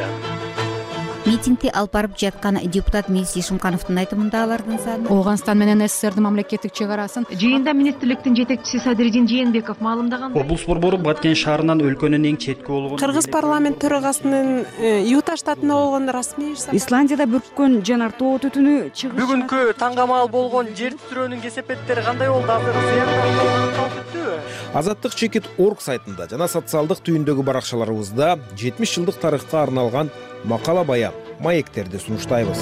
Митингди алып барып жаткан депутат Милис Ишимкановдун айтымында алардын саны Ооганстан менен СССРдин мамлекеттик чек арасын жыйында министрликтин жетекчиси Садыридин Жээнбеков маалымдаган. Облус борбору Баткен шаарынан өлкөнүн эң четки болгон Кыргыз парламент төрагасынын Юта штатында болгон расмий Исландияда бүрккөн жанар тоо түтүнү чыгыш. Бүгүнкү таңгамал болгон жер титирөөнүн кесепеттери кандай болду? Азыр Азаттык чекит орг сайтында жана социалдык түйүндөгү баракчаларыбызда жетимиш жылдык тарыхка арналган макала баян, маектерди сунуштайбыз.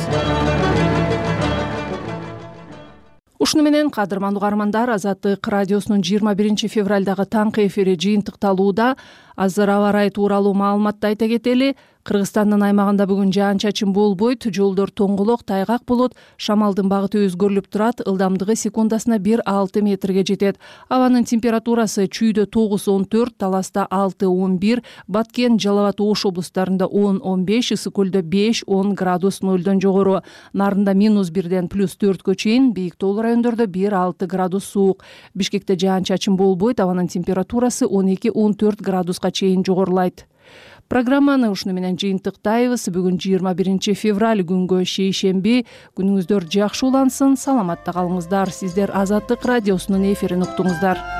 Ушуну менен кадырман угармандар, Азаттык радиосунун жыйырма биринчи февралдагы таңкы эфири жыйынтыкталууда. Азыр аба ырайы тууралуу маалыматты айта кетели. Кыргызстандын аймагында бүгүн жаан-чачын болбойт, жолдор тоңголок, тайгак болот, шамалдын багыты өзгөрүлүп турат, ылдамдыгы секундасына бир алты метрге жетет. Абанын температурасы Чүйдө тогуз он төрт, Таласта алты он бир, Баткен, Жалал абад, Ош облустарында он он беш, Ысык көлдө беш он градус нөлдөн жогору. Нарында минус бирден плюс төрткө чейин, бийик тоолуу райондордо бир алты градус суук. Бишкекте жаан-чачын болбойт, абанын температурасы он эки он төрт градуска чейин жогорулайт. Программаны ушуну менен жыйынтыктайбыз. Бүгүн жыйырма биринчи февраль, күнгө шейшемби. Күнүңүздөр жакшы улансын, саламатта калыңыздар. Сиздер Азаттык радиосунун эфирин уктуңуздар.